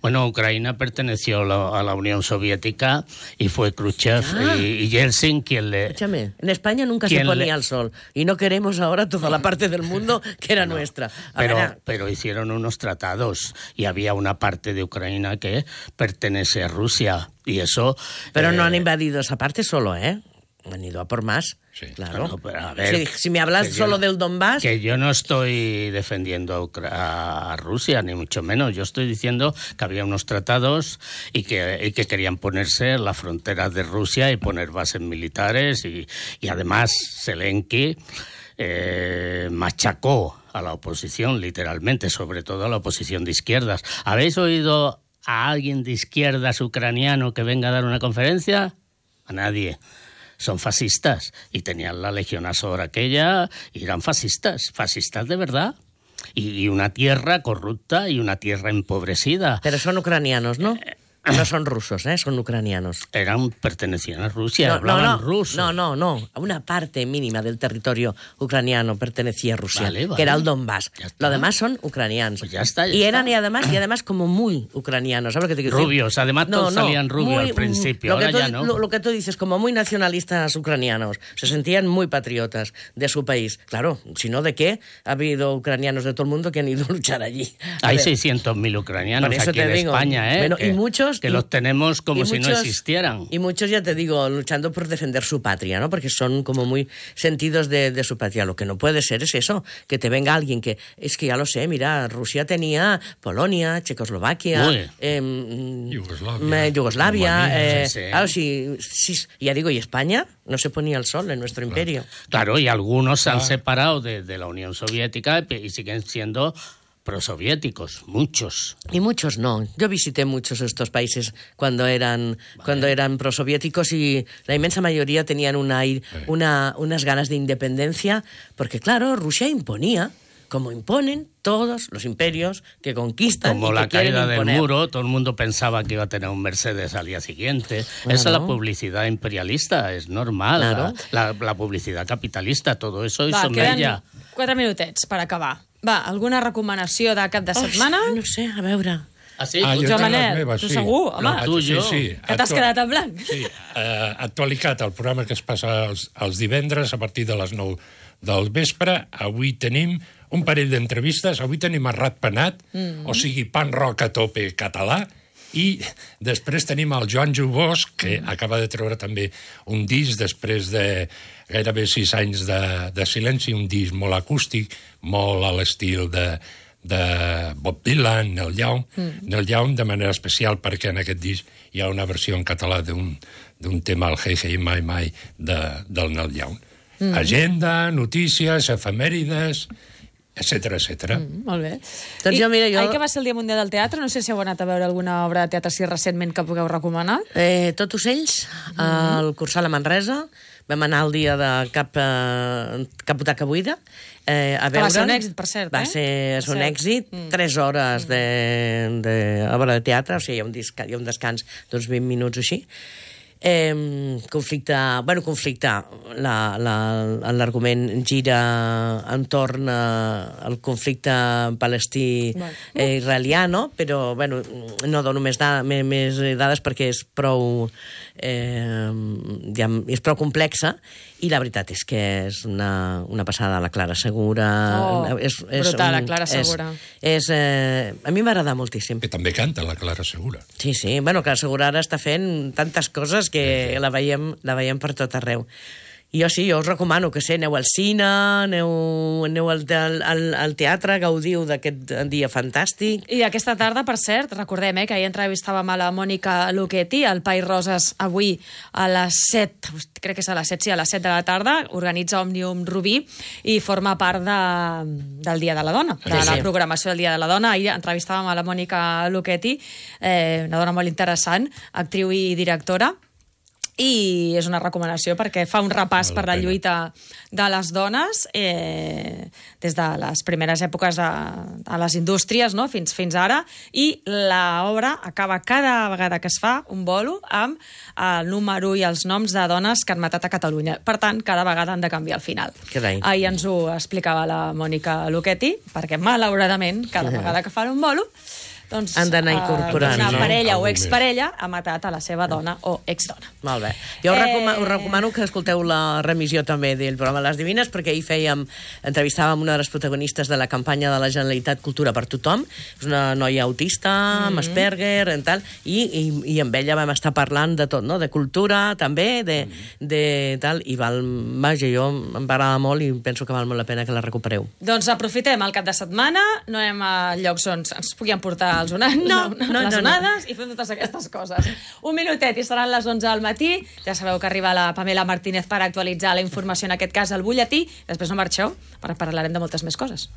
Bueno, Ucrania perteneció a la Unión Soviética y fue Khrushchev ah. y, y Yeltsin quien le... Escúchame, en España nunca se ponía le... el sol y no queremos ahora toda la parte del mundo que era no, nuestra. A pero, ver, pero hicieron unos tratados y había una parte de Ucrania que pertenece a Rusia y eso... Pero eh... no han invadido esa parte solo, ¿eh? Han ido a por más. Sí, claro. Claro, pero a ver, si, si me hablas solo yo, del Donbass... Que yo no estoy defendiendo a, a Rusia, ni mucho menos. Yo estoy diciendo que había unos tratados y que, y que querían ponerse en la frontera de Rusia y poner bases militares. Y, y además Zelensky eh, machacó a la oposición, literalmente, sobre todo a la oposición de izquierdas. ¿Habéis oído a alguien de izquierdas ucraniano que venga a dar una conferencia? A nadie. Son fascistas y tenían la Legión Azov aquella y eran fascistas, fascistas de verdad. Y, y una tierra corrupta y una tierra empobrecida. Pero son ucranianos, ¿no? Eh, No son rusos, ¿eh? Son ucranianos. Eran, pertenecían a Rusia, no, hablaban no, no, ruso. No, no, no. Una parte mínima del territorio ucraniano pertenecía a Rusia, vale, vale. que era el Donbass. Lo demás son ucranianos. Pues ya está, ya y está. eran, y además, y además como muy ucranianos. ¿Sabes lo que te quiero decir? Rubios, además todos no, no, salían rubios muy, al principio, ahora tú, ya no. Lo, lo que tú dices, como muy nacionalistas ucranianos. Se sentían muy patriotas de su país. Claro, si no, ¿de qué? Ha habido ucranianos de todo el mundo que han ido a luchar allí. A Hay seiscientos mil ucranianos aquí en digo, España, ¿eh? Bueno, que, y muchos... Que y, los tenemos como y si muchos, no existieran. Y muchos, ya te digo, luchando por defender su patria, ¿no? Porque son como muy sentidos de, de su patria. Lo que no puede ser es eso, que te venga alguien que... Es que ya lo sé, mira, Rusia tenía Polonia, Checoslovaquia, eh, Yugoslavia, Yugoslavia Rumanía, eh, sí, sí. Claro, sí, sí, ya digo, ¿y España? No se ponía el sol en nuestro claro. imperio. Claro, y algunos se han separado de, de la Unión Soviética y siguen siendo... prosoviéticos, muchos. Y muchos no. Yo visité muchos de estos países cuando eran, vale. cuando eran prosoviéticos y la inmensa mayoría tenían una, una, unas ganas de independencia, porque claro, Rusia imponía, como imponen todos los imperios que conquistan como y que la caída del imponer. muro, todo el mundo pensaba que iba a tener un Mercedes al día siguiente. Bueno. Esa es la publicidad imperialista, es normal. Claro. La, la, la publicidad capitalista, todo eso Va, hizo mella. Quatre minutets per acabar. Va, alguna recomanació de cap de setmana? Oh, no sé, a veure... Ah, sí? Ah, Jo, Manel, meves, tu sí. segur, home. No, tu, jo. Sí, sí. Que t'has quedat en blanc. Sí, uh, actualitat, el programa que es passa els, els divendres a partir de les nou del vespre. Avui tenim un parell d'entrevistes. Avui tenim a Rat Penat, mm. o sigui, pan rock a tope català, i després tenim el Joan Jubós, que mm. acaba de treure també un disc després de gairebé sis anys de, de silenci, un disc molt acústic, molt a l'estil de, de Bob Dylan, Neil Young, mm. Neil Young de manera especial perquè en aquest disc hi ha una versió en català d'un, d'un tema, el Hey Hey My My, de, del Neil Young. Mm. Agenda, notícies, efemèrides, etcètera, etcètera. Mm, molt bé. Doncs I, jo, mira, jo... Ahir que va ser el Dia Mundial del Teatre, no sé si heu anat a veure alguna obra de teatre així recentment que pugueu recomanar. Eh, Tot ocells, mm. al Cursal a Manresa. Vam anar el dia de cap, eh, cap butaca buida eh, a veure... Va ser un èxit, per cert, va eh? Va ser un èxit, mm. tres hores de, de obra de teatre, o sigui, hi ha un, disc, hi ha un descans d'uns vint minuts o així. Eh, conflicte, bueno, conflicte, la, la, l'argument gira entorn al conflicte palestí-israelià, no? Però, bueno, no dono més, da, més, més dades perquè és prou, eh, ja, és prou complexa, i la veritat és que és una, una passada. La Clara Segura... Oh, és, és brutal, un, la Clara Segura. És, és, eh, a mi m'agrada moltíssim. Que també canta la Clara Segura. Sí, sí. Bueno, Clara Segura ara està fent tantes coses que sí, sí. La, veiem, la veiem per tot arreu. I jo sí, jo us recomano que sé, aneu al cine, aneu, aneu al, al, al teatre, gaudiu d'aquest dia fantàstic. I aquesta tarda, per cert, recordem eh, que ahir entrevistàvem a la Mònica Luchetti, al Pai Roses, avui a les set, crec que és a les set, sí, a les set de la tarda, organitza Òmnium Rubí i forma part de, del Dia de la Dona, de sí, la sí. programació del Dia de la Dona. Ahir entrevistàvem a la Mònica Luchetti, eh, una dona molt interessant, actriu i directora, i és una recomanació perquè fa un repàs per la lluita de les dones eh, des de les primeres èpoques de, de les indústries, no? fins, fins ara, i l'obra acaba cada vegada que es fa un bolo amb el número i els noms de dones que han matat a Catalunya. Per tant, cada vegada han de canviar el final. Ahir ens ho explicava la Mònica Luchetti, perquè malauradament cada vegada que fan un bolo doncs, han d'anar eh, incorporant. una No? parella o Algú exparella ha matat a la seva dona o exdona. Molt bé. Jo us, Eh, recomano, us recomano que escolteu la remissió també del programa Les Divines, perquè ahir fèiem, entrevistàvem una de les protagonistes de la campanya de la Generalitat Cultura per Tothom. És una noia autista, amb Mhm. Asperger, en tal, i, i, i amb ella vam estar parlant de tot, no? De cultura, també, de, de tal, i val, vaja, jo em va agradar molt i penso que val molt la pena que la recupereu. Doncs aprofitem el cap de setmana, no anem a llocs on ens pugui emportar els onats, No, no, no, les no, no. onades i fem totes aquestes coses. Un minutet i seran les onze del matí. Ja sabeu que arriba la Pamela Martínez per actualitzar la informació, en aquest cas al butlletí. Després no marxeu, perquè parlarem de moltes més coses.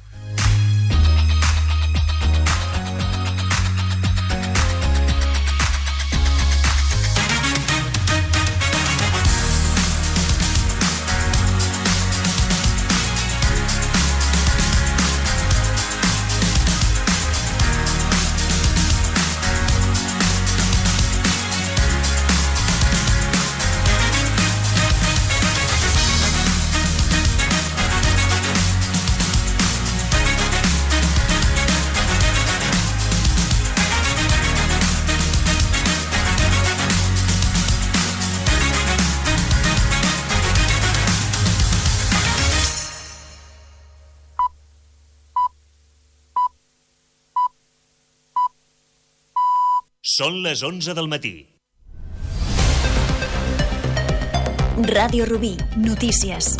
Són les onze del matí. Ràdio Rubí, notícies.